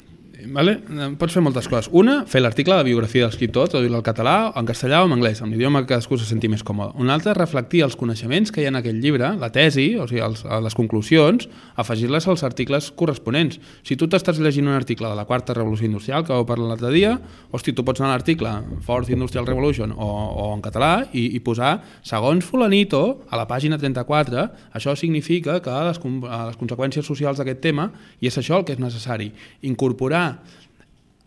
Vale? Pots fer moltes coses. Una, fer l'article de biografia de l'escriptor, traduir-lo al català, en castellà o en anglès, en l'idioma que cadascú se senti més còmode. Un altre, reflectir els coneixements que hi ha en aquell llibre, la tesi, o sigui, els, les conclusions, afegir-les als articles corresponents. Si tu t'estàs llegint un article de la quarta revolució industrial, que vau parlar l'altre dia, hosti, tu pots anar a l'article Fourth Industrial Revolution o, o en català i, i posar, segons fulanito, a la pàgina trenta-quatre, això significa que les, les conseqüències socials d'aquest tema, i és això el que és necessari, incorporar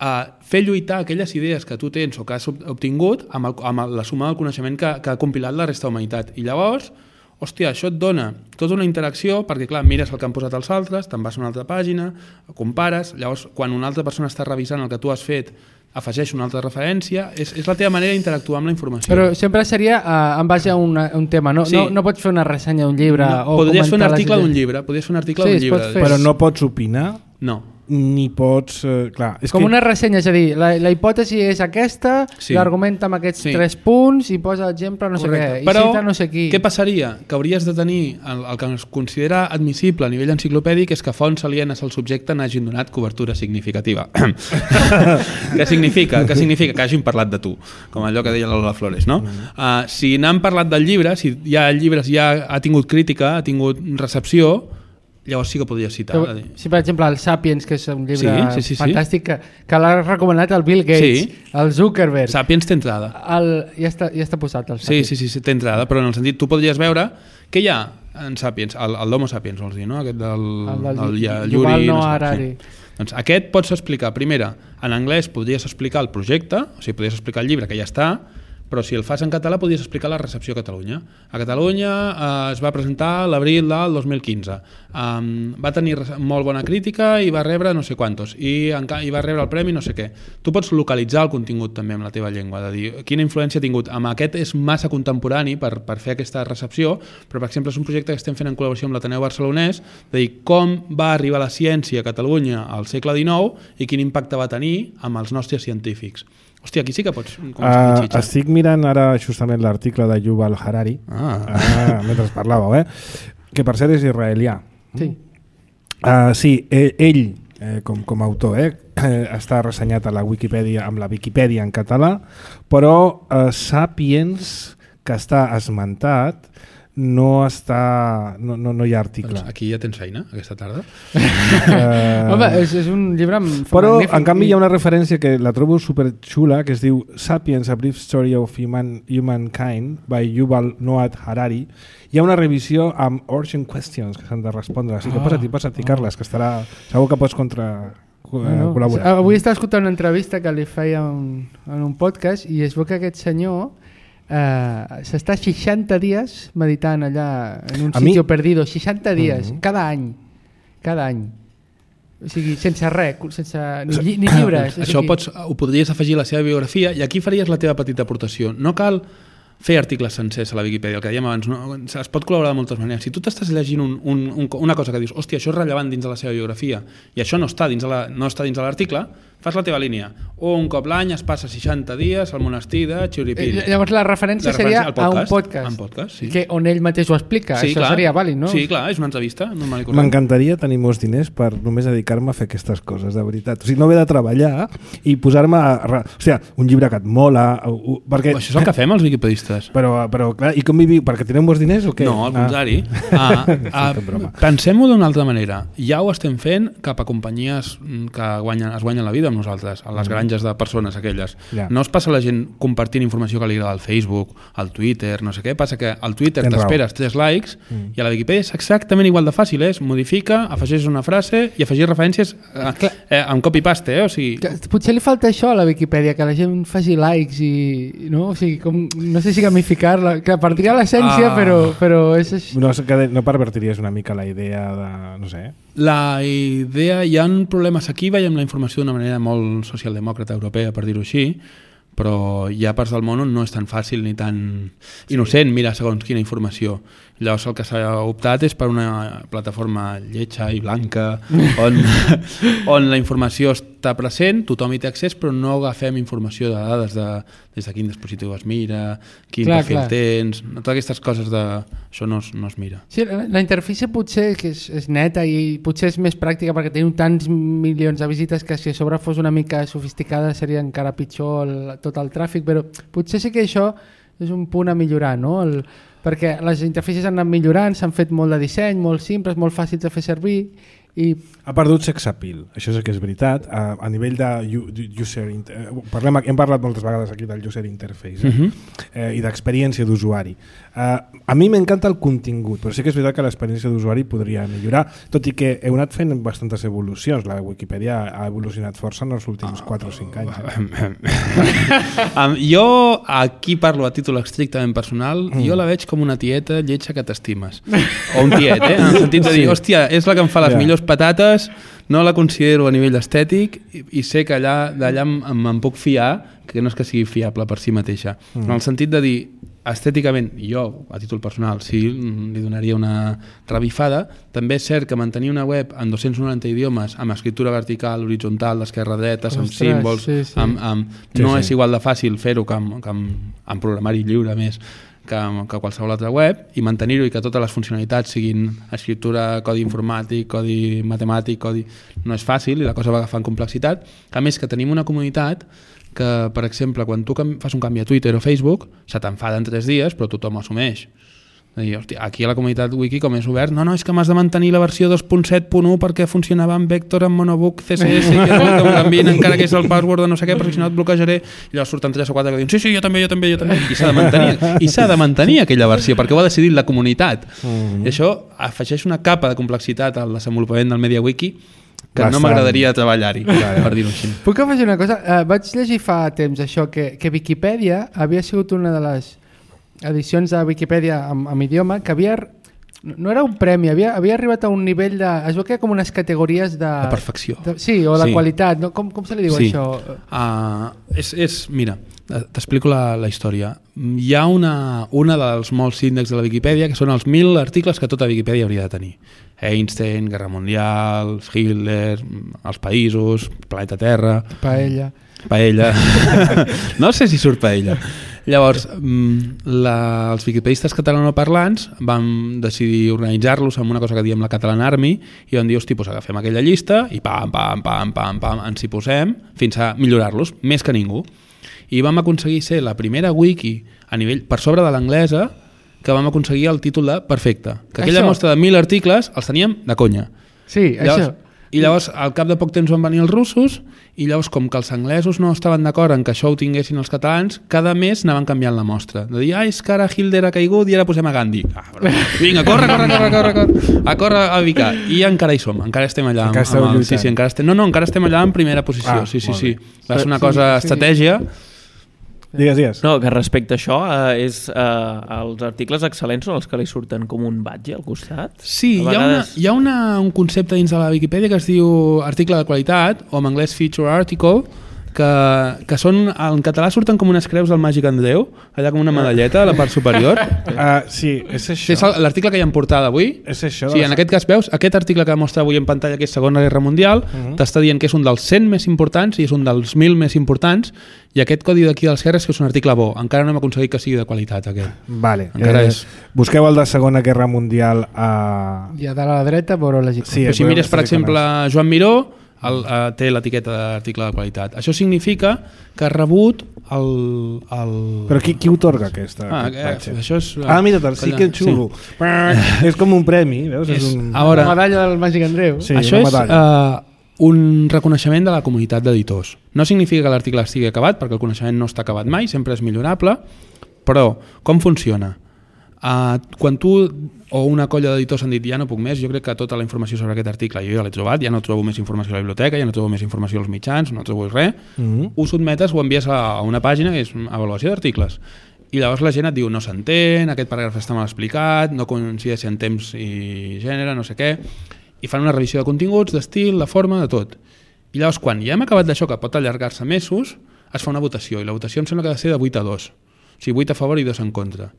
a fer lluitar aquelles idees que tu tens o que has obtingut amb, el, amb la suma del coneixement que, que ha compilat la resta de la humanitat. I llavors, hòstia, això et dona tota una interacció, perquè clar, mires el que han posat els altres, te'n vas a una altra pàgina, compares, llavors quan una altra persona està revisant el que tu has fet, afegeix una altra referència, és, és la teva manera d'interactuar amb la informació. Però sempre seria uh, en base a una, un tema, no? Sí. no? No pots fer una ressenya d'un llibre no, o podries fer un article d'un llibre, podries fer un article sí, d'un llibre. Però no pots opinar? No. Ni pots... Eh, clar, és com que... una ressenya, és a dir, la, la hipòtesi és aquesta, sí. l'argumenta amb aquests sí. tres punts i posa exemple no Correcte. sé què, i Però, cita no sé qui. Què passaria? Que hauries de tenir el, el que es considera admissible a nivell enciclopèdic és que fonts alienes al subjecte n'hagin donat cobertura significativa. Què significa? Què significa? Que hagin parlat de tu, com allò que deia Lola Flores, no? Uh, si n'han parlat del llibre, si ja el llibre ja ha tingut crítica, ha tingut recepció, llavors sí que podries citar. Però, si per exemple el Sapiens, que és un llibre sí, sí, sí, fantàstic, que, que l'ha recomanat el Bill Gates, sí. el Zuckerberg. Sapiens té entrada. El, ja, està, ja està posat el Sapiens. Sí, sí, sí, té entrada, però en el sentit, tu podries veure què hi ha en Sapiens, el, el d'Homo Sapiens, vols dir, no? Aquest del... El, del el, el Yuval Noah Harari. Sí. Doncs aquest pots explicar, primera, en anglès podries explicar el projecte, o sigui, podries explicar el llibre que ja està, però si el fas en català podries explicar la recepció a Catalunya. A Catalunya eh, es va presentar l'abril del dos mil quinze. Um, va tenir molt bona crítica i va rebre no sé quantos, i, i va rebre el premi no sé què. Tu pots localitzar el contingut també amb la teva llengua, de dir quina influència ha tingut. Amb aquest és massa contemporani per, per fer aquesta recepció, però per exemple és un projecte que estem fent en col·laboració amb l'Ateneu Barcelonès, de dir com va arribar la ciència a Catalunya al segle dinou i quin impacte va tenir amb els nostres científics. Hòstia, aquí sí que pots començar a uh, estic mirant ara justament l'article de Yuval Harari, ah. uh, mentre parlàveu, eh? Que per cert és israelià. Sí. Uh, sí, ell, ell eh, com, com a autor, eh, eh, està ressenyat a la Wikipedia amb la Wikipedia en català, però uh, Sapiens, que està esmentat, no està no, no, no hi ha article. Doncs aquí ja tens feina aquesta tarda. uh, Home, és, és un llibre però magnífic. en canvi hi ha una referència que la trobo superxula, que es diu Sapiens, A Brief Story of Human, Humankind by Yuval Noah Harari. Hi ha una revisió amb urgent questions que s'han de respondre, així que oh, posa't-hi, posa't-hi, oh. Carles, que estarà, segur que pots contra bueno, col·laborar. Avui estava escoltant una entrevista que li feia un, en un podcast i es veu que aquest senyor Uh, s'està seixanta dies meditant allà en un sitio perdido, seixanta dies, uh-huh. cada any cada any, o sigui, sense res, sense, ni, ni llibres. Això pots, ho podries afegir a la seva biografia i aquí faries la teva petita aportació. No cal fer articles sencers a la Wikipedia, el que dèiem abans, no? Es pot col·laborar de moltes maneres. Si tu t'estàs llegint un, un, un, una cosa que dius, hòstia, això és rellevant dins de la seva biografia i això no està dins de la, no està dins de l'article, fas la teva línia. Un cop l'any es passa seixanta dies al monestir de Chiripiri. Eh, llavors la referència, la referència seria podcast, a un podcast, un podcast sí. que on ell mateix ho explica. Sí, això clar. Seria vàlid, no? Sí, clar, és una entrevista normal i corrent. M'encantaria tenir molts diners per només dedicar-me a fer aquestes coses, de veritat. O sigui, no haver de treballar i posar-me a... O sigui, un llibre que et mola... Perquè... Això és el que fem els wikipedistes. Però, però clar, i com viviu? Perquè teniu molts diners o què? No, al contrari. Ah. Ah, ah, pensem-ho d'una altra manera. Ja ho estem fent cap a companyies que guanyen, es guanyen la vida amb nosaltres, a les granges de persones aquelles. Ja. No es passa la gent compartint informació que li agrada al Facebook, al Twitter, no sé què, passa que al Twitter t'esperes tres likes mm. i a la Wikipedia és exactament igual de fàcil, és modifica, afegeix una frase i afegeix referències a, eh, amb copy-paste, eh? O sigui... Que, potser li falta això a la Wikipedia, que la gent faci likes i... No, o sigui, com, no sé si gamificar-la, que perdria l'essència, ah. però, però és... No, que no pervertiries una mica la idea de... no sé... La idea, hi ha problemes aquí, veiem la informació d'una manera molt socialdemòcrata europea, per dir-ho així, però hi ha parts del món on no és tan fàcil ni tan innocent mirar segons quina informació. Llavors el que s'ha optat és per una plataforma lletja i blanca on, on la informació està present, tothom hi té accés, però no agafem informació de dades de des de quin dispositiu es mira, quin clar, perfil clar. tens, totes aquestes coses de... això no es, no es mira. Sí, la, la interfície potser que és, és neta i potser és més pràctica perquè tenim tants milions de visites que si a sobre fos una mica sofisticada seria encara pitjor el, tot el tràfic, però potser sí que això és un punt a millorar, no? El, perquè les interfícies han anat millorant, s'han fet molt de disseny, molt simples, molt fàcils de fer servir i... Ha perdut sex appeal, això és que és veritat, a, a nivell de user inter... Parlem, hem parlat moltes vegades aquí del user interface eh? uh-huh. eh, i d'experiència d'usuari. Uh, a mi m'encanta el contingut, però sí que és veritat que l'experiència d'usuari podria millorar, tot i que heu anat fent bastantes evolucions. La Wikipedia ha evolucionat força en els últims quatre o cinc anys. um, jo aquí parlo a títol estrictament personal, mm. jo la veig com una tieta lletja que t'estimes. O un tiet, eh? En el sentit de dir, sí. hòstia, és la que em fa les yeah. millors patates, no la considero a nivell estètic i, i sé que allà d'allà em, em puc fiar, que no és que sigui fiable per si mateixa. Mm. En el sentit de dir, estèticament, jo, a títol personal, sí, li donaria una revifada. També és cert que mantenir una web en dos-cents noranta idiomes, amb escriptura vertical, horitzontal, d'esquerra a dreta, amb símbols, sí, sí. Amb, amb, sí, no sí. és igual de fàcil fer-ho que amb, que amb, amb programari lliure més, que, que qualsevol altra web, i mantenir-ho i que totes les funcionalitats siguin escriptura, codi informàtic, codi matemàtic, codi... no és fàcil i la cosa va agafant complexitat. A més que tenim una comunitat que, per exemple, quan tu fas un canvi a Twitter o Facebook, se t'enfada en tres dies, però tothom ho assumeix. Dir, hòstia, aquí a la comunitat wiki com és obert, no, no, és que m'has de mantenir la versió dos punt set punt u perquè funcionava amb Vector, amb Monobook, C S S, que no em canviïn encara que és el password de no sé què, perquè si no et bloquejaré. I llavors surten tres o quatre que diuen, sí, sí, jo també, jo també, jo també. I s'ha de mantenir, i s'ha de mantenir aquella versió, perquè ho ha decidit la comunitat. Mm-hmm. I això afegeix una capa de complexitat al desenvolupament del MediaWiki que Bastant. no m'agradaria treballar-hi, per dir-ho així. Puc afegir una cosa? Uh, vaig llegir fa temps això, que, que Viquipèdia havia sigut una de les edicions de Viquipèdia amb, amb idioma que havia... No era un premi, havia, havia arribat a un nivell de... Es veu que hi ha com unes categories de... De perfecció. De, sí, o de sí. qualitat. No? Com, com se li diu sí. això? Uh, és, és, mira, t'explico la, la història. Hi ha una, una dels molts índexs de la Viquipèdia que són els mil articles que tota Viquipèdia hauria de tenir. Einstein, Guerra Mundial, Hitler, els països, planeta Terra... Paella. Paella. No sé si surt paella. Llavors, la, els viquipedistes catalanoparlants vam decidir organitzar-los amb una cosa que diem la Catalan Army i vam dir, hosti, doncs agafem aquella llista i pam, pam, pam, pam, pam, ens hi posem fins a millorar-los, més que ningú. I vam aconseguir ser la primera wiki a nivell per sobre de l'anglesa que vam aconseguir el títol de perfecte. Que aquella això. mostra de mil articles els teníem de conya. Sí, llavors, això. I llavors, al cap de poc temps van venir els russos i llavors, com que els anglesos no estaven d'acord en que això ho tinguessin els catalans, cada mes anaven canviant la mostra. De dir, ah, és que ara Hitler ha caigut i ara posem a Gandhi. Ah, però... Vinga, corre, corre, corre, corre, corre, a córrer a Vicar. I encara hi som, encara estem allà. Encara amb, amb el, sí, sí, encara estem, no, no, encara estem allà en primera posició. Ah, sí, sí, sí. Va ser una cosa sí, estratègia. Digues, digues. No, que respecte a això, eh, és, eh, els articles excel·lents són els que li surten com un badge al costat? Sí, a hi ha, vegades... una, hi ha una, un concepte dins de la Viquipèdia que es diu article de qualitat, o en anglès feature article, que, que són, en català surten com unes creus del Màgic Andreu, allà com una medalleta a la part superior. Uh, sí, és això. Sí, és l'article que hi ha en portada avui. És això. Sí, en aquest cas veus, aquest article que mostra avui en pantalla, que és Segona Guerra Mundial, uh -huh. t'està dient que és un dels cent més importants i és un dels mil més importants, i aquest codi d'aquí dels R és que és un article bo. Encara no hem aconseguit que sigui de qualitat, aquest. Vale. Encara eh, és... Busqueu el de Segona Guerra Mundial a... I a dalt a la dreta veureu les icones. Sí, Però si mires, per les exemple, icones. Joan Miró, el, uh, té l'etiqueta d'article de qualitat. Això significa que ha rebut el... el... Però qui, qui otorga aquesta? Ah, aquest eh, això és... Ah, mira, sí que xulo. Sí. És com un premi, veus? És, és un... A veure, la medalla del Màgic Andreu. Sí, això una és medalla. uh, un reconeixement de la comunitat d'editors. No significa que l'article estigui acabat, perquè el coneixement no està acabat mai, sempre és millorable, però com funciona? Uh, quan tu o una colla d'editors han dit ja no puc més, jo crec que tota la informació sobre aquest article jo ja l'he trobat, ja no trobo més informació a la biblioteca, ja no trobo més informació als mitjans, no trobo res, Mm-hmm. ho sotmetes, ho envies a una pàgina que és avaluació d'articles. I llavors la gent et diu no s'entén, aquest paràgraf està mal explicat, no coincideix en temps i gènere, no sé què, i fan una revisió de continguts, d'estil, de forma, de tot. I llavors quan ja hem acabat d'això, que pot allargar-se mesos, es fa una votació, i la votació em sembla que ha de ser de vuit a dos. O sigui, vuit a favor i dos en contra.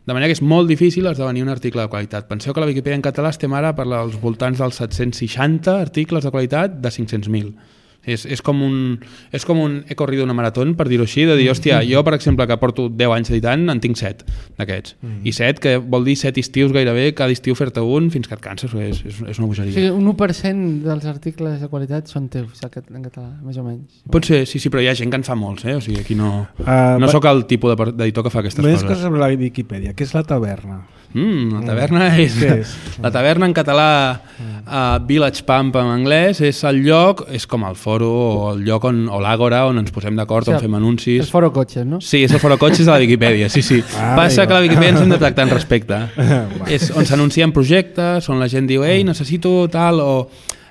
De manera que és molt difícil esdevenir un article de qualitat. Penseu que la Viquipèdia en català estem ara per als voltants dels set-cents seixanta articles de qualitat de cinc-cents mil. És, és, com un, és com un he corrido una marató, per dir-ho així, de dir, hòstia, jo, per exemple, que porto deu anys editant, en tinc set d'aquests. Mm-hmm. I set, que vol dir set estius gairebé, cada estiu fer-te un fins que et canses, és, és, és una bogeria. O sigui, un u per cent dels articles de qualitat són teus en català, més o menys. Pot ser, sí, sí, però hi ha gent que en fa molts, eh? O sigui, aquí no, Uh, no sóc el tipus de- d'editor que fa aquestes Més coses. coses sobre la Viquipèdia. Què és la taverna? Mm, la taverna és... Què és? La taverna en català, uh, Village Pump en anglès, és el lloc, és com el foro o el lloc on, o l'àgora on ens posem d'acord, O sigui, on fem anuncis. Els foro cotxes, no? Sí, és el foro cotxes de la Viquipèdia, sí, sí. Ah, Passa amigo. que la Viquipèdia ens hem de tractar en respecte. Va. És on s'anuncien projectes, on la gent diu, ei, necessito tal, o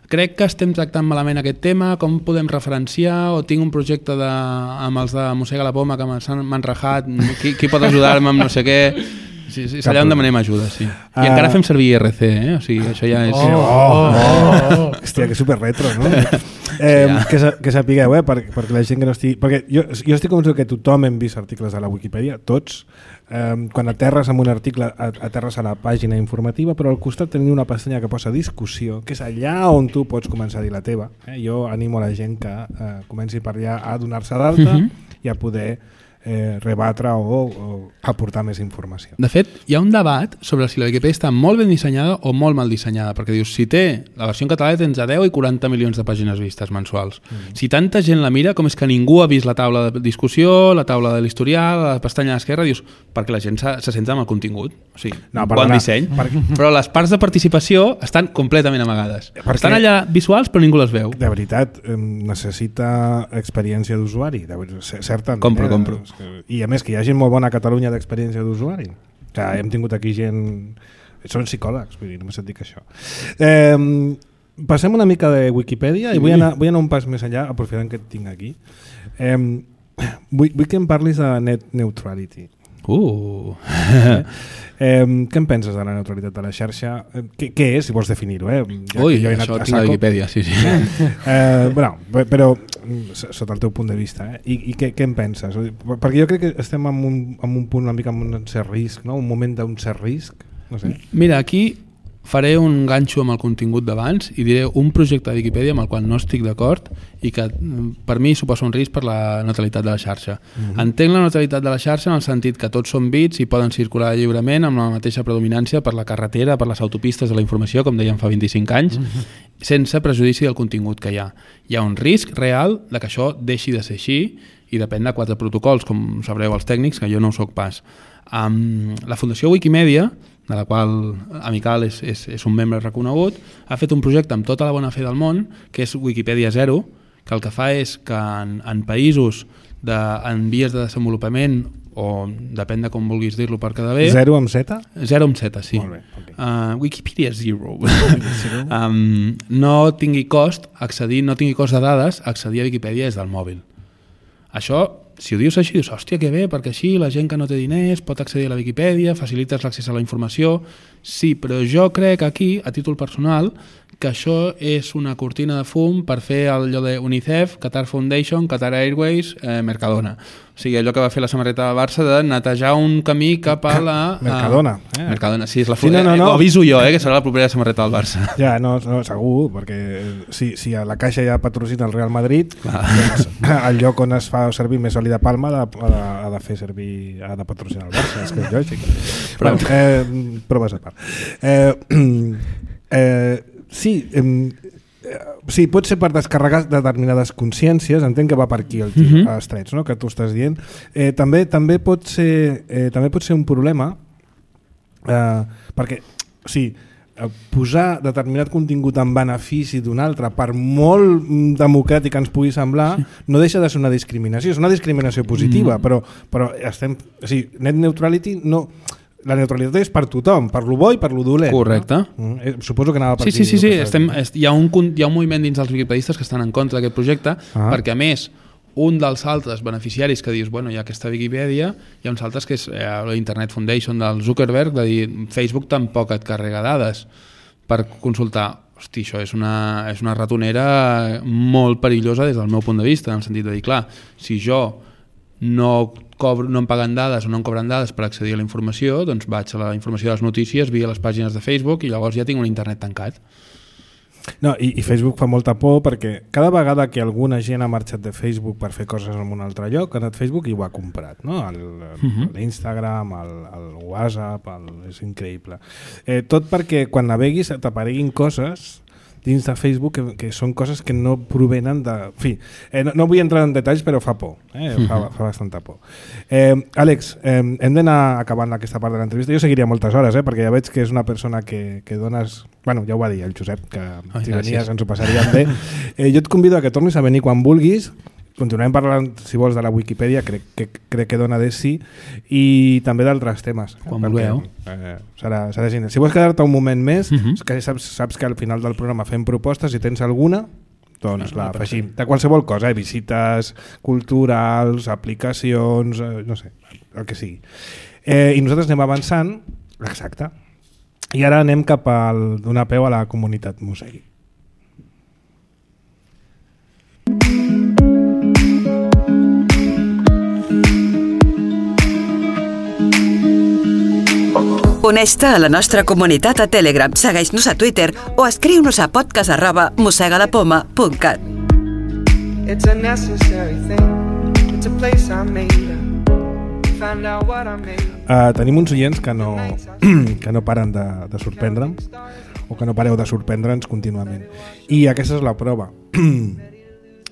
crec que estem tractant malament aquest tema, com podem referenciar, o tinc un projecte de, amb els de Mossega la Poma que m'han m'han rajat, qui, qui pot ajudar-me amb no sé què... Sí, sí, és allà on demanem ajuda, sí. I Ah. encara fem servir I R C, eh? O sigui, això ja és... Oh, oh, oh. Hòstia, que super retro, no? Eh, Ja. que, sa, que sapigueu, eh, per, perquè la gent que no estigui... Perquè jo, jo estic convençut que tothom hem vist articles a la Wikipedia, tots. Eh, quan aterres amb un article, aterres a la pàgina informativa, però al costat teniu una pestanya que posa discussió, que és allà on tu pots començar a dir la teva. Eh? Jo animo a la gent que eh, comenci per allà a donar-se d'alta Mhm. i a poder eh, rebatre o, o aportar més informació. De fet, hi ha un debat sobre si la Wikipedia està molt ben dissenyada o molt mal dissenyada, perquè dius, si té la versió en català té entre deu i quaranta milions de pàgines vistes mensuals. Mm. Si tanta gent la mira, com és que ningú ha vist la taula de discussió, la taula de l'historial, la pestanya d'esquerra, dius, perquè la gent se, se centra en el contingut. O sigui, No, bon perdona, disseny. per- Però les parts de participació estan completament amagades. Perquè- Estan allà visuals, però ningú les veu. De veritat, eh, necessita experiència d'usuari, de ver- cer- certament. Compro, eh? compro. I a més que hi ha gent molt bona a Catalunya d'experiència d'usuari. Que hem tingut aquí gent... Són psicòlegs, vull dir, només et dic això. Eh, passem una mica de Wikipedia i vull anar, vull anar un pas més enllà, aprofitant que et tinc aquí. Eh, vull, vull que em parlis de net neutrality. Uh. eh? Eh, què en penses de la neutralitat de la xarxa? Eh, què, què és, si vols definir-ho? Eh? Ja Ui, jo això tinc a Wikipedia, sí, sí. eh, bueno, però sota el teu punt de vista, eh? I, i què, què en penses? Perquè jo crec que estem en un, en un punt una mica amb un cert risc, no? Un moment d'un cert risc, no sé. Mira, aquí faré un ganxo amb el contingut d'abans i diré un projecte de Wikipedia amb el qual no estic d'acord i que per mi suposa un risc per la neutralitat de la xarxa. Uh-huh. Entenc la neutralitat de la xarxa en el sentit que tots són bits i poden circular lliurement amb la mateixa predominància per la carretera, per les autopistes de la informació, com dèiem fa vint-i-cinc anys, uh-huh. sense prejudici del contingut que hi ha. Hi ha un risc real de que això deixi de ser així i depèn de quatre protocols, com sabreu els tècnics, que jo no ho soc pas. Um, la Fundació Wikimedia, de la qual Amical és, és, és un membre reconegut, ha fet un projecte amb tota la bona fe del món, que és Wikipedia Zero, que el que fa és que en, en països de, en vies de desenvolupament, o depèn de com vulguis dir-lo per quedar bé... Zero amb Z? Zero amb Z, sí. Molt bé, okay. uh, Wikipedia Zero. um, no tingui cost accedir, no tingui cost de dades accedir a Wikipedia des del mòbil. Això, si ho dius així, dius, hòstia, que bé, perquè així la gent que no té diners pot accedir a la Wikipedia, facilites l'accés a la informació. Sí, però jo crec aquí, a títol personal, que això és una cortina de fum per fer allò de UNICEF, Qatar Foundation, Qatar Airways, eh, Mercadona. O sigui, allò que va fer la samarreta del Barça de netejar un camí cap a la... Mercadona. Eh? Mercadona, sí, és la sí, no, no, no. Ho aviso jo, eh, que serà la propera samarreta del Barça. Ja, no, no segur, perquè si, si a la Caixa ja patrocina el Real Madrid, doncs, el lloc on es fa servir més oli de palma ha de, ha de fer servir, ha de patrocinar el Barça, és que és lògic. Però, eh, proves a part. Eh, eh, sí, eh, sí, pot ser per descarregar determinades consciències, entenc que va per aquí el tio, uh-huh. els trets, no? Que tu estàs dient. Eh, també, també, pot ser, eh, també pot ser un problema eh, perquè, sí, posar determinat contingut en benefici d'un altre, per molt democràtic que ens pugui semblar, sí. no deixa de ser una discriminació. És una discriminació positiva, mm. però, però estem... O sigui, net neutrality no... La neutralitat és per tothom, per lo bo i per lo dolent. Correcte. No? Mm, suposo que anava per sí, aquí. Sí, sí, sí. Estem, est, hi, ha un, hi ha un moviment dins dels wikipedistes que estan en contra d'aquest projecte, ah. perquè a més un dels altres beneficiaris que dius, bueno, hi ha aquesta Wikipedia, hi ha uns altres que és eh, l'Internet Foundation del Zuckerberg, de dir, Facebook tampoc et carrega dades per consultar. Hosti, això és una, és una ratonera molt perillosa des del meu punt de vista, en el sentit de dir, clar, si jo no, cobro, no em paguen dades o no em cobren dades per accedir a la informació, doncs vaig a la informació de les notícies via les pàgines de Facebook i llavors ja tinc un internet tancat. No, i, i Facebook fa molta por perquè cada vegada que alguna gent ha marxat de Facebook per fer coses en un altre lloc, ha anat Facebook i ho ha comprat, no? El, el, uh-huh. l'Instagram, el, el WhatsApp, el, és increïble. Eh, tot perquè quan naveguis t'apareguin coses dins de Facebook que, que són coses que no provenen de... En fi, eh, no, no vull entrar en detalls, però fa por, eh? fa, fa bastanta por. Eh, Àlex, eh, hem d'anar acabant aquesta part de l'entrevista. Jo seguiria moltes hores, eh? perquè ja veig que és una persona que, que dones... Bueno, ja ho va dir el Josep, que Ai, si venies ens ho passaríem bé. Eh, jo et convido a que tornis a venir quan vulguis. Continuem parlant, si vols, de la Wikipedia, crec que, crec que dona de sí, i també d'altres temes. Quan vulgueu. Eh, serà, serà genial. Si vols quedar-te un moment més, uh-huh. que saps, saps que al final del programa fem propostes, si tens alguna, doncs la afegim. De qualsevol cosa, eh? Visites culturals, aplicacions, eh, no sé, el que sigui. Eh, I nosaltres anem avançant, exacte, i ara anem cap a donar peu a la comunitat Mosegui. Uneix-te a la nostra comunitat a Telegram, segueix-nos a Twitter o escriu-nos a podcast arroba mosegalapoma punt cat. It's a necessary thing. It's a place I made up. Find out what I made. Uh, tenim uns oients que no, que no paren de, de sorprendre'm o que no pareu de sorprendre'ns contínuament. I aquesta és la prova.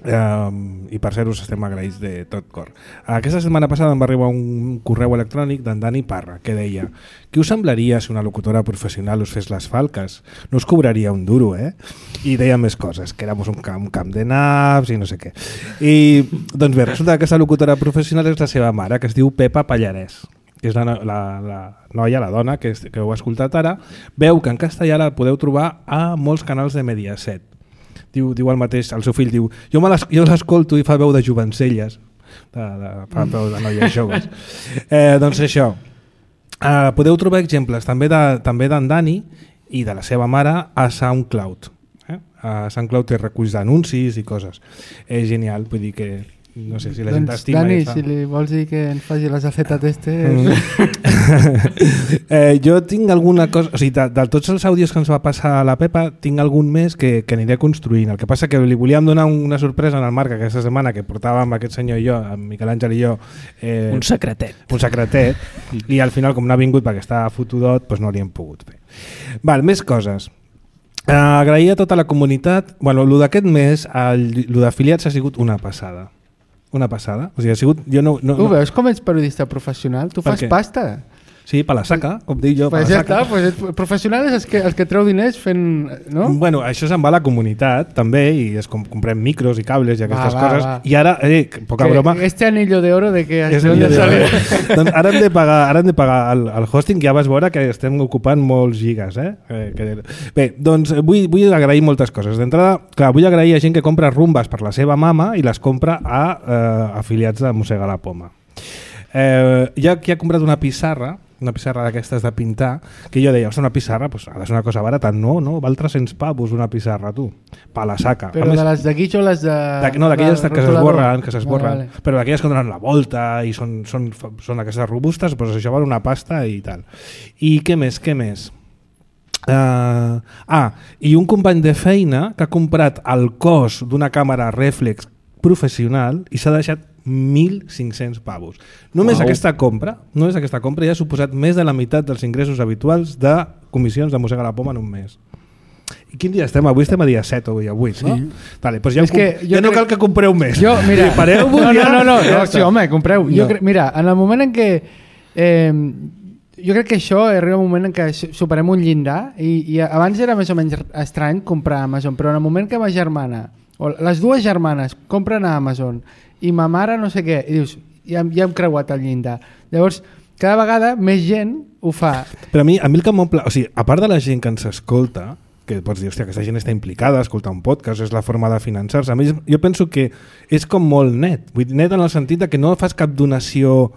Um, i per ser us estem agraïts de tot cor. Aquesta setmana passada em va arribar un correu electrònic d'en Dani Parra que deia: què us semblaria si una locutora professional us fes les falques? No us cobraria un duro, eh? I deia més coses, que érem un camp, un camp de naps i no sé què. I doncs bé, resulta que aquesta locutora professional és la seva mare, que es diu Pepa Pallarès, que és la, la, la noia, la dona que, que heu escoltat ara, veu que en castellà la podeu trobar a molts canals de Mediaset. Diu, diu el mateix, el seu fill diu, jo, me les, jo l'escolto i fa veu de jovencelles, de, de, fa veu de noies joves. Eh, doncs això, eh, podeu trobar exemples també de, també d'en Dani i de la seva mare a SoundCloud. Eh? A SoundCloud té reculls d'anuncis i coses. És genial, vull dir que no sé si la gent doncs, t'estima. Dani, fa... si li vols dir que ens faci les acetes testes... Mm. eh, jo tinc alguna cosa... O sigui, de, de tots els àudios que ens va passar a la Pepa, tinc algun més que, que aniré construint. El que passa que li volíem donar una sorpresa en el Marc aquesta setmana, que portàvem aquest senyor i jo, en Miquel Àngel i jo... Eh, un secretet. Un secretet. I al final, com no ha vingut perquè està fotudot, doncs no li hem pogut fer. Val, més coses. Uh, agrair a tota la comunitat. Bueno, el d'aquest mes, el, el d'afiliats ha sigut una passada. Una passada. O sigui, ha sigut... Jo no, no, Ho no... veus com ets periodista professional? Tu Per fas què? pasta. Sí, per la saca, com dic jo, per Pues la ja saca. està, pues ets professional és els que, els que treu diners fent... No? Bueno, això se'n va a la comunitat també i es com, comprem micros i cables i aquestes Va, va, coses va. i ara, eh, poca Que broma, este anillo de oro de que... és de el dónde de sale? doncs ara hem de pagar, ara hem de pagar el, el hosting, ja vas veure que estem ocupant molts gigas, eh? eh que... Bé, doncs vull, vull agrair moltes coses. D'entrada, clar, vull agrair a gent que compra rumbes per la seva mama i les compra a eh, afiliats de Mossega la Poma. Eh, hi ha qui ha comprat una pissarra, una pissarra d'aquestes de pintar, que jo deia, una pissarra pues, ha de ser una cosa barata. No, no, val tres-cents pavos una pissarra, tu. Pa la saca. Però més, de les d'aquí o les de... de, no, d'aquelles que s'esborren, que s'esborren. Vale, vale. Però d'aquelles que donen la volta i són, són, són aquestes robustes, doncs això val una pasta i tal. I què més, què més? Uh, ah, i un company de feina que ha comprat el cos d'una càmera reflex professional i s'ha deixat mil cinc-cents pavos. Només Uau. aquesta compra, només aquesta compra ja ha suposat més de la meitat dels ingressos habituals de comissions de Mossega la Poma en un mes. I quin dia estem? Avui estem a dia set o dia vuit, sí. No? Vale, doncs ja, És que ja no crec... cal que compreu més. Jo, mira, pareu no, no, ja, no, no, ja no sí, home, compreu. No. Jo cre... Mira, en el moment en què... Eh, jo crec que això arriba un moment en què superem un llindar i, i abans era més o menys estrany comprar a Amazon, però en el moment que ma germana, o les dues germanes compren a Amazon i ma mare no sé què, i dius, ja, ja hem creuat el llindar. Llavors, cada vegada més gent ho fa. Però a mi, a mi el que m'omple... O sigui, a part de la gent que ens escolta, que pots dir, hòstia, aquesta gent està implicada, escoltar un podcast, és la forma de finançar-se. A mi, jo penso que és com molt net. Vull dir, net en el sentit de que no fas cap donació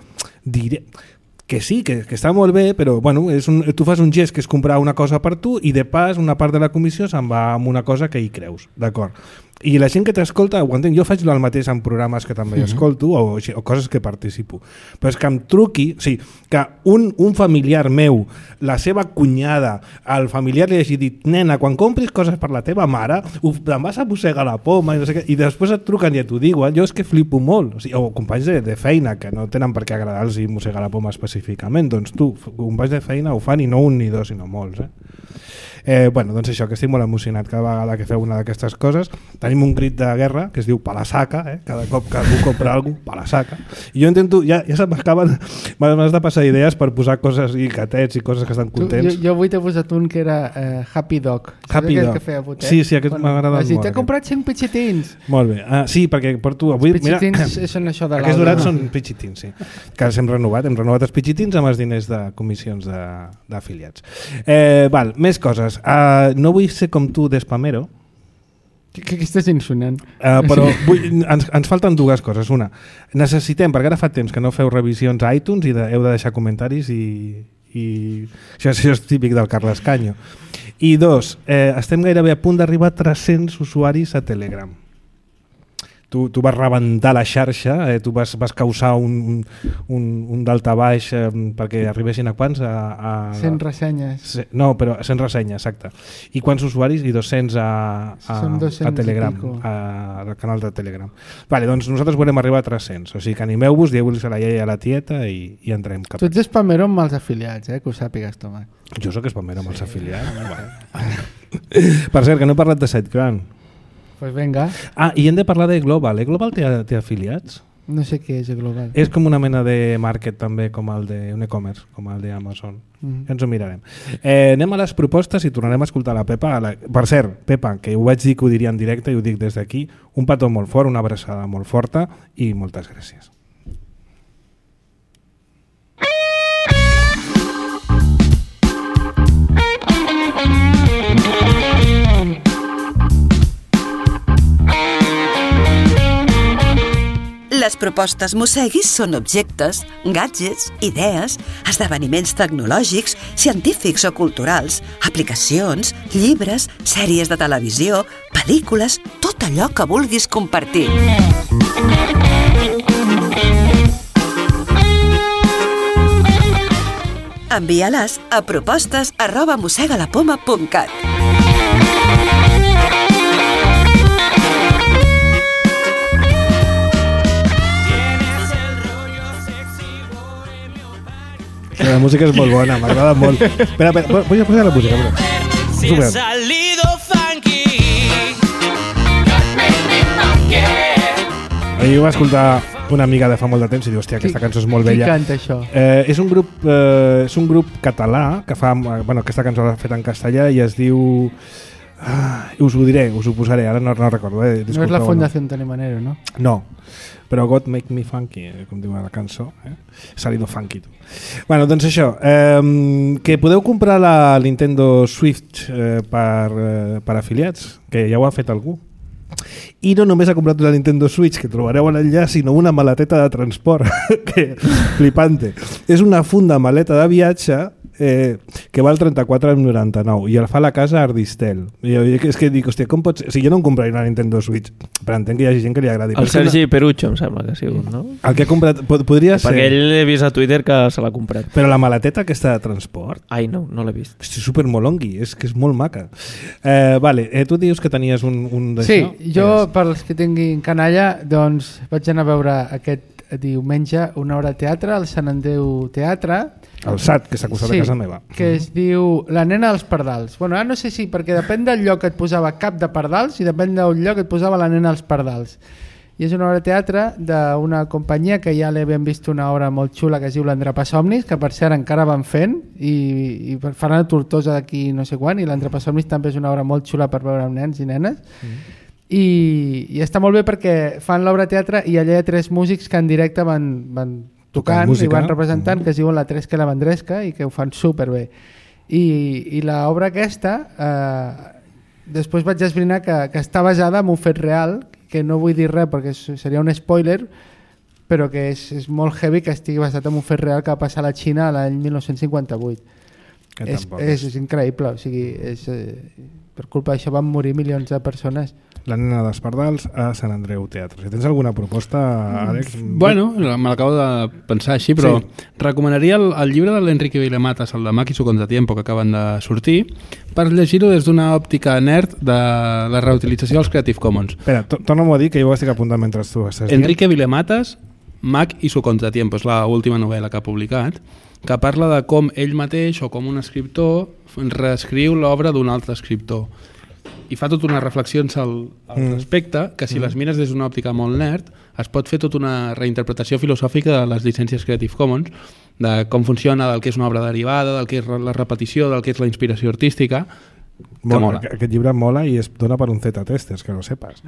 directa. Que sí, que, que està molt bé, però bueno, és un, tu fas un gest que és comprar una cosa per tu i de pas una part de la comissió se'n va amb una cosa que hi creus, d'acord? I la gent que t'escolta, ho entenc, jo faig el mateix en programes que també mm-hmm. escolto o, o coses que participo, però és que em truqui, o sigui, que un, un familiar meu, la seva cunyada, el familiar li hagi dit, nena, quan compris coses per la teva mare, ho, te'n vas a mossegar la poma i, no sé què, i després et truquen i t'ho diuen, jo és que flipo molt, o, sigui, o companys de, de feina que no tenen per què agradar-los i mossegar la poma específicament, doncs tu, companys de feina ho fan i no un ni dos, sinó molts, eh? Eh, bueno, doncs això, que estic molt emocionat cada vegada que feu una d'aquestes coses. Tenim un crit de guerra que es diu pa la saca, eh? Cada cop que algú compra alguna cosa, pa la saca. I jo intento, ja, ja se m'acaben, m'has de passar idees per posar coses i catets i coses que estan contents. Tu, jo, jo avui t'he posat un que era uh, Happy Dog. Happy Dog. Que feia botet? Sí, sí, aquest bueno, m'ha agradat molt. T'he comprat cinc pitxitins. Molt bé. Ah, sí, perquè porto avui... Els pitxitins mira, són això de l'Alba. Aquests dorats són pitxitins, sí. Que els hem renovat. Hem renovat els pitxitins amb els diners de comissions d'afiliats. Eh, val, més coses. Uh, no vull ser com tu d'espamero. Que, que estàs insonant. Uh, però vull, ens, ens falten dues coses. Una, necessitem, perquè ara fa temps que no feu revisions a iTunes i de, heu de deixar comentaris i, i això, això és típic del Carles Canyo. I dos, eh, estem gairebé a punt d'arribar a tres-cents usuaris a Telegram. Tu, tu vas rebentar la xarxa, eh, tu vas, vas causar un, un, un daltabaix eh, perquè arribessin a quants? A, a, cent ressenyes. Se, no, però cent ressenyes, exacte. I quants usuaris? I dos-cents a, a, a Telegram, al canal de Telegram. Vale, doncs nosaltres volem arribar a tres-cents, o sigui que animeu-vos, dieu-vos a la iaia i a la tieta i, i entrem cap. Tu ets espamero amb els afiliats, eh, que ho sàpigues, Tomàs. Jo sóc espamero amb els afiliats. Per cert, que no he parlat de SiteGround. Pues venga. Ah, i hem de parlar de Global. Eh? Global té, té afiliats? No sé què és Global. És com una mena de market també, com el de un e-commerce, com el d'Amazon. Mm-hmm. Ja ens ho mirarem. Eh, anem a les propostes i tornarem a escoltar la Pepa. La... Per cert, Pepa, que ho vaig dir que ho diria en directe i ho dic des d'aquí, un petó molt fort, una abraçada molt forta i moltes gràcies. Les propostes Mosseguis són objectes, gadgets, idees, esdeveniments tecnològics, científics o culturals, aplicacions, llibres, sèries de televisió, pel·lícules, tot allò que vulguis compartir. Envia-les a propostes arroba mossegalapoma punt cat. La música és molt bona, m'agrada molt. Espera, espera, vull posar la música. Però. Si he salido funky. Ahir va escoltar una amiga de fa molt de temps i diu, hòstia, aquesta cançó és molt bella. Qui canta això? Eh, és, un grup, eh, és un grup català que fa... Bueno, aquesta cançó l'ha fet en castellà i es diu... Ah, us ho diré, us ho posaré, ara no, no recordo. Eh? No és la Fundació Antoni Manero, no? No, però God Make Me Funky, com diu la cançó. Eh? Salido funky, tu. Bueno, doncs això, eh, que podeu comprar la Nintendo Switch eh, per, eh, per afiliats, que ja ho ha fet algú. I no només ha comprat una Nintendo Switch, que trobareu a l'enllaç, sinó una maleteta de transport, que flipante. És una funda maleta de viatge eh, que val trenta-quatre coma noranta-nou i el fa a la casa Ardistel. I jo, és que dic, hòstia, com pots... O sigui, jo no em compraria una Nintendo Switch, però entenc que hi hagi gent que li agradi. El Sergi no... Perucho, em sembla que ha sigut, no? El que ha comprat... Podria ser... Perquè ell he vist a Twitter que se l'ha comprat. Però la maleteta aquesta de transport... Ai, no, no l'he vist. És supermolongui, és que és molt maca. Eh, vale, eh, tu dius que tenies un, un d'això? Sí, jo, per als que tinguin canalla, doncs vaig anar a veure aquest diumenge una hora de teatre, al Sant Andreu Teatre. El S A T, que està acusat sí, de casa meva. Que es diu La nena dels pardals. Bueno, ara no sé si, perquè depèn del lloc que et posava Cap de Pardals i depèn del lloc que et posava La nena dels pardals. I és una obra de teatre d'una companyia que ja l'hem vist una obra molt xula que es diu l'Endrapasomnis, que per cert encara van fent i, i faran a Tortosa d'aquí no sé quan, i l'Endrapasomnis també és una obra molt xula per veure amb nens i nenes. Mm. I, i està molt bé perquè fan l'obra de teatre i allà hi ha tres músics que en directe van, van tocant música, i van representant, mm. que es diuen la Tresca i la Vendresca i que ho fan superbé. I, i l'obra aquesta eh, després vaig esbrinar que, que està basada en un fet real, que no vull dir res perquè seria un spoiler, però que és, és molt heavy que estigui basat en un fet real que va passar a la Xina l'any dinou cinquanta-vuit. És, és, és increïble, o sigui, és, eh, per culpa d'això van morir milions de persones. La nena dels pardals a Sant Andreu Teatre. Si tens alguna proposta, Àlex? Bueno, me l'acabo de pensar així, però sí. Recomanaria el, el llibre de l'Enrique Vilamatas, el de Mac i su contratiempo, que acaben de sortir, per llegir-ho des d'una òptica nerd de la reutilització dels Creative Commons. Espera, torna-m'ho a dir, que jo ho estic apuntant mentre tu estàs dient. Enrique Vilamatas, Mac i su contratiempo, és l'última novel·la que ha publicat, que parla de com ell mateix o com un escriptor reescriu l'obra d'un altre escriptor. I fa tot unes reflexions al, al mm. respecte, que si mm. les mires des d'una òptica molt nerd, es pot fer tota una reinterpretació filosòfica de les llicències Creative Commons, de com funciona, del que és una obra derivada, del que és la repetició, del que és la inspiració artística, que molt, mola. Aquest llibre mola i es dona per un Z-testers, que no sepas.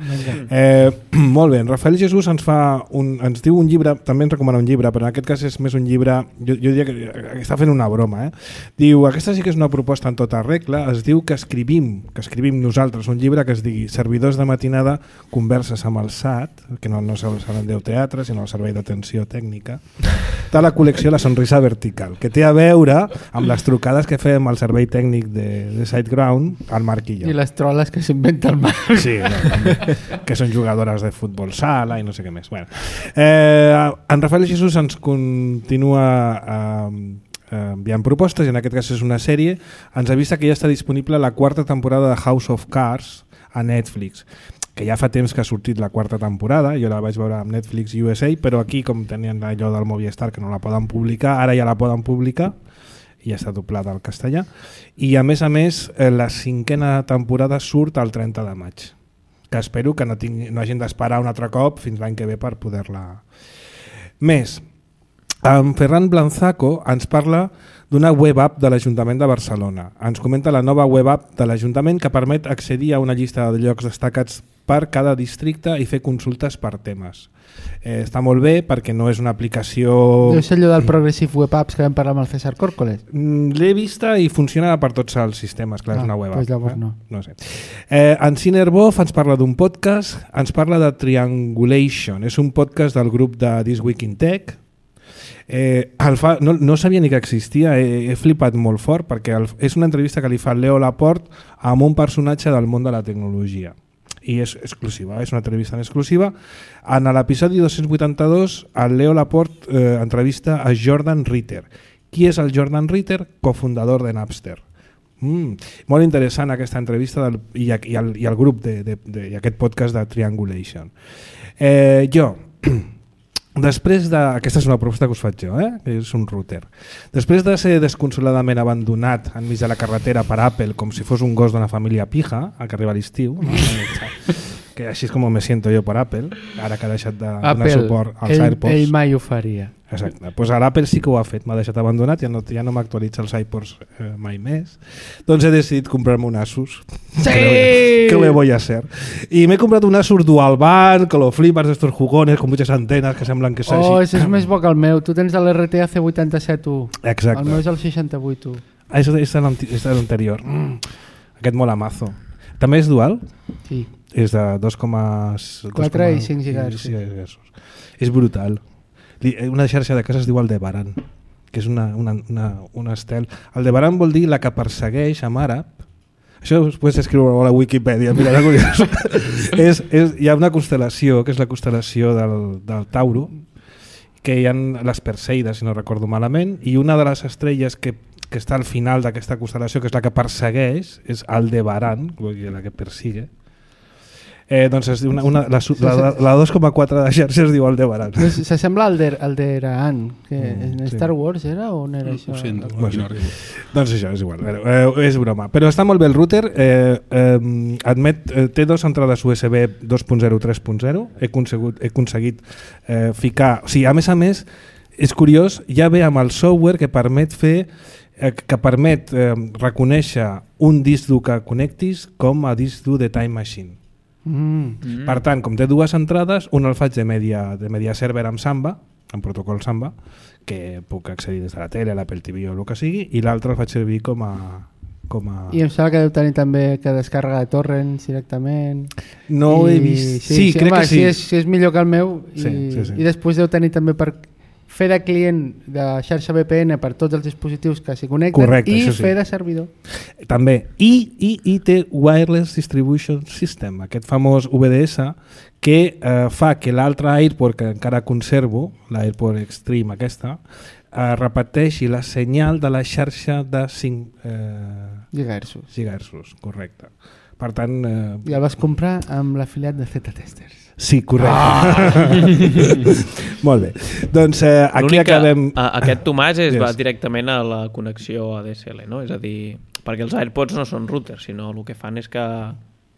Eh, molt bé, en Rafael Jesús ens fa un, ens diu un llibre, també ens recomana un llibre, però en aquest cas és més un llibre, jo, jo diria que està fent una broma, eh? Diu, aquesta sí que és una proposta en tota regla, es diu que escrivim, que escrivim nosaltres un llibre que es digui Servidors de matinada, converses amb el S A T, que no, no és el Sant Andreu Teatre, sinó el Servei d'Atenció Tècnica, de la col·lecció La Sonrisa Vertical, que té a veure amb les trucades que fem al servei tècnic de, de SiteGround, al Marc i jo. I les troles que s'inventa el Marc. Sí, no, que són jugadores de futbol sala i no sé què més. Bueno, eh, en Rafael Jesús ens continua eh, enviant propostes, i en aquest cas és una sèrie. Ens avisa que ja està disponible la quarta temporada de House of Cards a Netflix, que ja fa temps que ha sortit la quarta temporada, jo la vaig veure amb Netflix U S A, però aquí, com tenien allò del Movistar que no la poden publicar, ara ja la poden publicar i ja està doblada al castellà, i a més a més la cinquena temporada surt el trenta de maig, que espero que no, tingui, no hagin d'esperar un altre cop fins l'any que ve per poder-la. Més, en Ferran Blanzaco ens parla d'una web app de l'Ajuntament de Barcelona. Ens comenta la nova web app de l'Ajuntament que permet accedir a una llista de llocs destacats per cada districte i fer consultes per temes. Eh, està molt bé perquè no és una aplicació... Deu ser allò del Progressive Web Apps que vam parlar amb el César Córcoles. Mm, L'he vista i funciona per tots els sistemes, clar, Ah, és una web doncs app. llavors eh? no. No sé. Eh, en Cinerbof ens parla d'un podcast, ens parla de Triangulation, és un podcast del grup de This Week in Tech. Eh, el fa, no, no sabia ni que existia, he, he flipat molt fort perquè el, és una entrevista que li fa Leo Laporte amb un personatge del món de la tecnologia i és exclusiva, és una entrevista en exclusiva. En l'episodi dos-cents vuitanta-dos el Leo Laporte eh, entrevista a Jordan Ritter. Qui és el Jordan Ritter? Cofundador de Napster. Mm, molt interessant aquesta entrevista del, i, i, el, i el grup de, de, de, i aquest podcast de Triangulation. Eh, jo Després de... Aquesta és una proposta que us faig jo, eh? Que és un router. Després de ser desconsoladament abandonat enmig de la carretera per Apple com si fos un gos d'una família pija, a que arriba l'estiu, no? Que així és com me siento jo per Apple, ara que ha deixat de donar Apple, suport als ell, AirPods. ell mai ho faria. Exacte. Pues ara Apple sí que ho ha fet, m'ha deixat abandonat, ja no, ja no m'actualitza els iPods eh, mai més. Doncs he decidit comprar-me un Asus. Sí! ¿Qué le voy a hacer? I m'he comprat un Asus Dual Band, que lo flipas, d'estos jugones, con muchas antenas que semblen que Oh, s'hagi... ese és més bo que el meu. Tu tens l'R T A C vuitanta-set u. Exacte. El meu és el seixanta-vuit u. Ah, és, és, és de l'anterior. Mm. Aquest mola mazo. També és dual? Sí. És de dos coma quatre i cinc gigahertzs. És brutal. Una xarxa de casa es diu Aldebaran, que és una, una, una, una estel. Aldebaran vol dir la que persegueix amb àrab. Això us pots escriure a la Wikipedia, mira, és curiós. és, és, hi ha una constel·lació, que és la constel·lació del, del Tauro, que hi ha les Perseides, si no recordo malament, i una de les estrelles que, que està al final d'aquesta constel·lació, que és la que persegueix, és Aldebaran, la que persigue. Eh, doncs es diu una, una, la, la, la dos coma quatre de xarxa es diu Aldebaran. S'assembla al Alderaan, que Mm, en sí. Star Wars era o on era això? Ho sento, Bueno, no arribo. Doncs això, és igual, eh, és broma. Però està molt bé el router, eh, eh, admet, eh, té dos entrades U S B dos punt zero i tres punt zero, he aconsegut, he aconseguit eh, ficar... O sigui, a més a més, és curiós, ja ve amb el software que permet fer eh, que permet eh, reconèixer un disc dur que connectis com a disc dur de Time Machine. Mm. Mm. Per tant, com té dues entrades, un el faig de media, de media server amb Samba, amb protocol Samba, que puc accedir des de la tele, l'Apple T V o el que sigui, i l'altre el faig servir com a... Com a... I em sembla que deu tenir també que descàrrega de torrents directament. No ho he I- vist. Sí, Sí, sí, crec home, que sí. Si és, si és millor que el meu. I, Sí, sí, sí. I després deu tenir també per fer de client de xarxa V P N per tots els dispositius que s'hi connecten. Correcte, i això sí. fer de servidor. També. I, i, I té Wireless Distribution System, aquest famós V D S, que eh, fa que l'altre AirPort, que encara conservo, l'AirPort Extreme aquesta, eh, repeteixi la senyal de la xarxa de cinc eh, Gigahertzos. gigahertzos, correcte. Per tant... Eh, I el vas comprar amb l'afiliat de Z-Testers. sí, correcte. Ah! Molt bé. Doncs eh, aquí L'únic que, acabem... a, aquest Tomàs es Yes. va directament a la connexió A D S L, no? És a dir, perquè els AirPods no són routers, sinó el que fan és que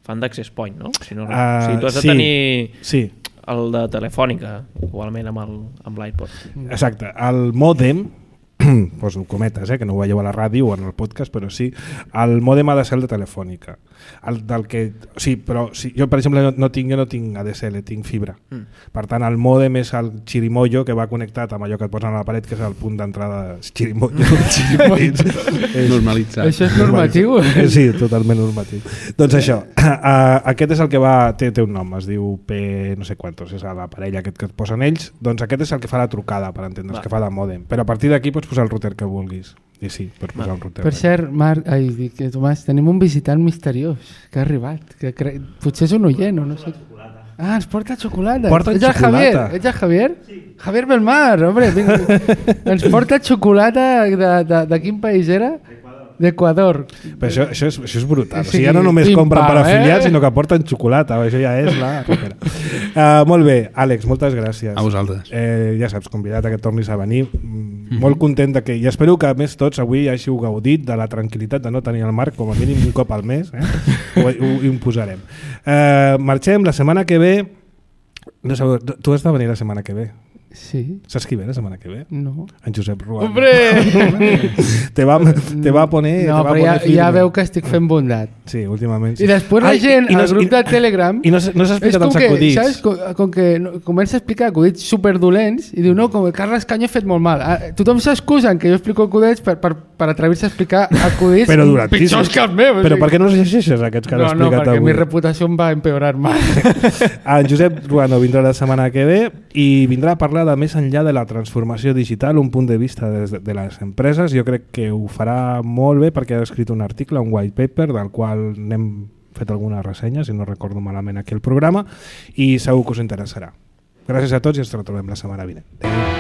fan d'access point, no? Si no Uh, o sigui, tu has de sí, tenir sí, el de Telefònica, igualment amb el- amb l'iPod. exacte. El mòdem, poso cometes, eh, que no ho veieu a la ràdio o en el podcast, però sí, el mòdem ha de ser el de Telefònica. El del que, sí, però sí, jo per exemple no, no tinc, jo no tinc A D S L, tinc fibra. Mm. Per tant, el mòdem és el xirimoyo que va connectat amb allò que et posen a la paret, que és el punt d'entrada xirimoyo. xirimoyo. És- Normalitzat. Això és normatiu? Eh, Sí, totalment normatiu. Doncs això, uh, aquest és el que va, té, té un nom, es diu P no sé quantos, és l'aparell aquest que et posen ells, doncs aquest és el que fa la trucada, per entendre's, Va. que fa de mòdem. Però a partir d'aquí pots posar el router que vulguis. I sí, pots posar un router. Per cert, Marc, ai, dic, eh, Tomàs, tenim un visitant misteriós que ha arribat. Que cre... Potser és un oient o no sé. Ah, ens porta xocolata. Porta ets el xocolata. Javier? Ets el Javier? Sí. Javier Belmar, home. Vinga. Ens porta xocolata de, de, de quin país era? D'Equador. Però això, això, és, això és brutal. O Sí, sigui, ja no només pim, compren per pam, afiliats, eh? sinó que porten xocolata. Això ja és la... uh, molt bé, Àlex, moltes gràcies. A vosaltres. Eh, ja saps, convidat a que tornis a venir. Mm, molt content de que... I espero que a més tots avui hàgiu gaudit de la tranquil·litat de no tenir el Marc com a mínim un cop al mes. Eh? Ho, ho, ho imposarem. Eh, marxem la setmana que ve... No sé, tu has de venir la setmana que ve. Sí. Saps qui ve la setmana que ve? No. En Josep Ruano. Hombre! te, va, te va poner... No, te va però ja, poner ja veu que estic fent bondat. Sí, últimament. Sí. I després la Ai, gent i no, al grup i, de Telegram... I no, no s'ha explicat els acudits. Saps? Com, com que no, comença a explicar acudits superdolents i diu, no, com que Carles Canyo ha fet molt mal. Ah, tothom s'excusa que jo explico acudits per, per, per atrevir-se a explicar acudits però pitjors que els meus. Però per què no els llegeixes aquests que no, has no, explicat perquè avui? mi reputació em va empeorar mal. En Josep Ruano vindrà la setmana que ve i vindrà a parlar de més enllà de la transformació digital, un punt de vista de, de les empreses. Jo crec que ho farà molt bé perquè ha escrit un article, un white paper, del qual n'hem fet alguna ressenya, si no recordo malament aquí el programa, i segur que us interessarà. Gràcies a tots i ens retrobem la setmana vinent. Adéu.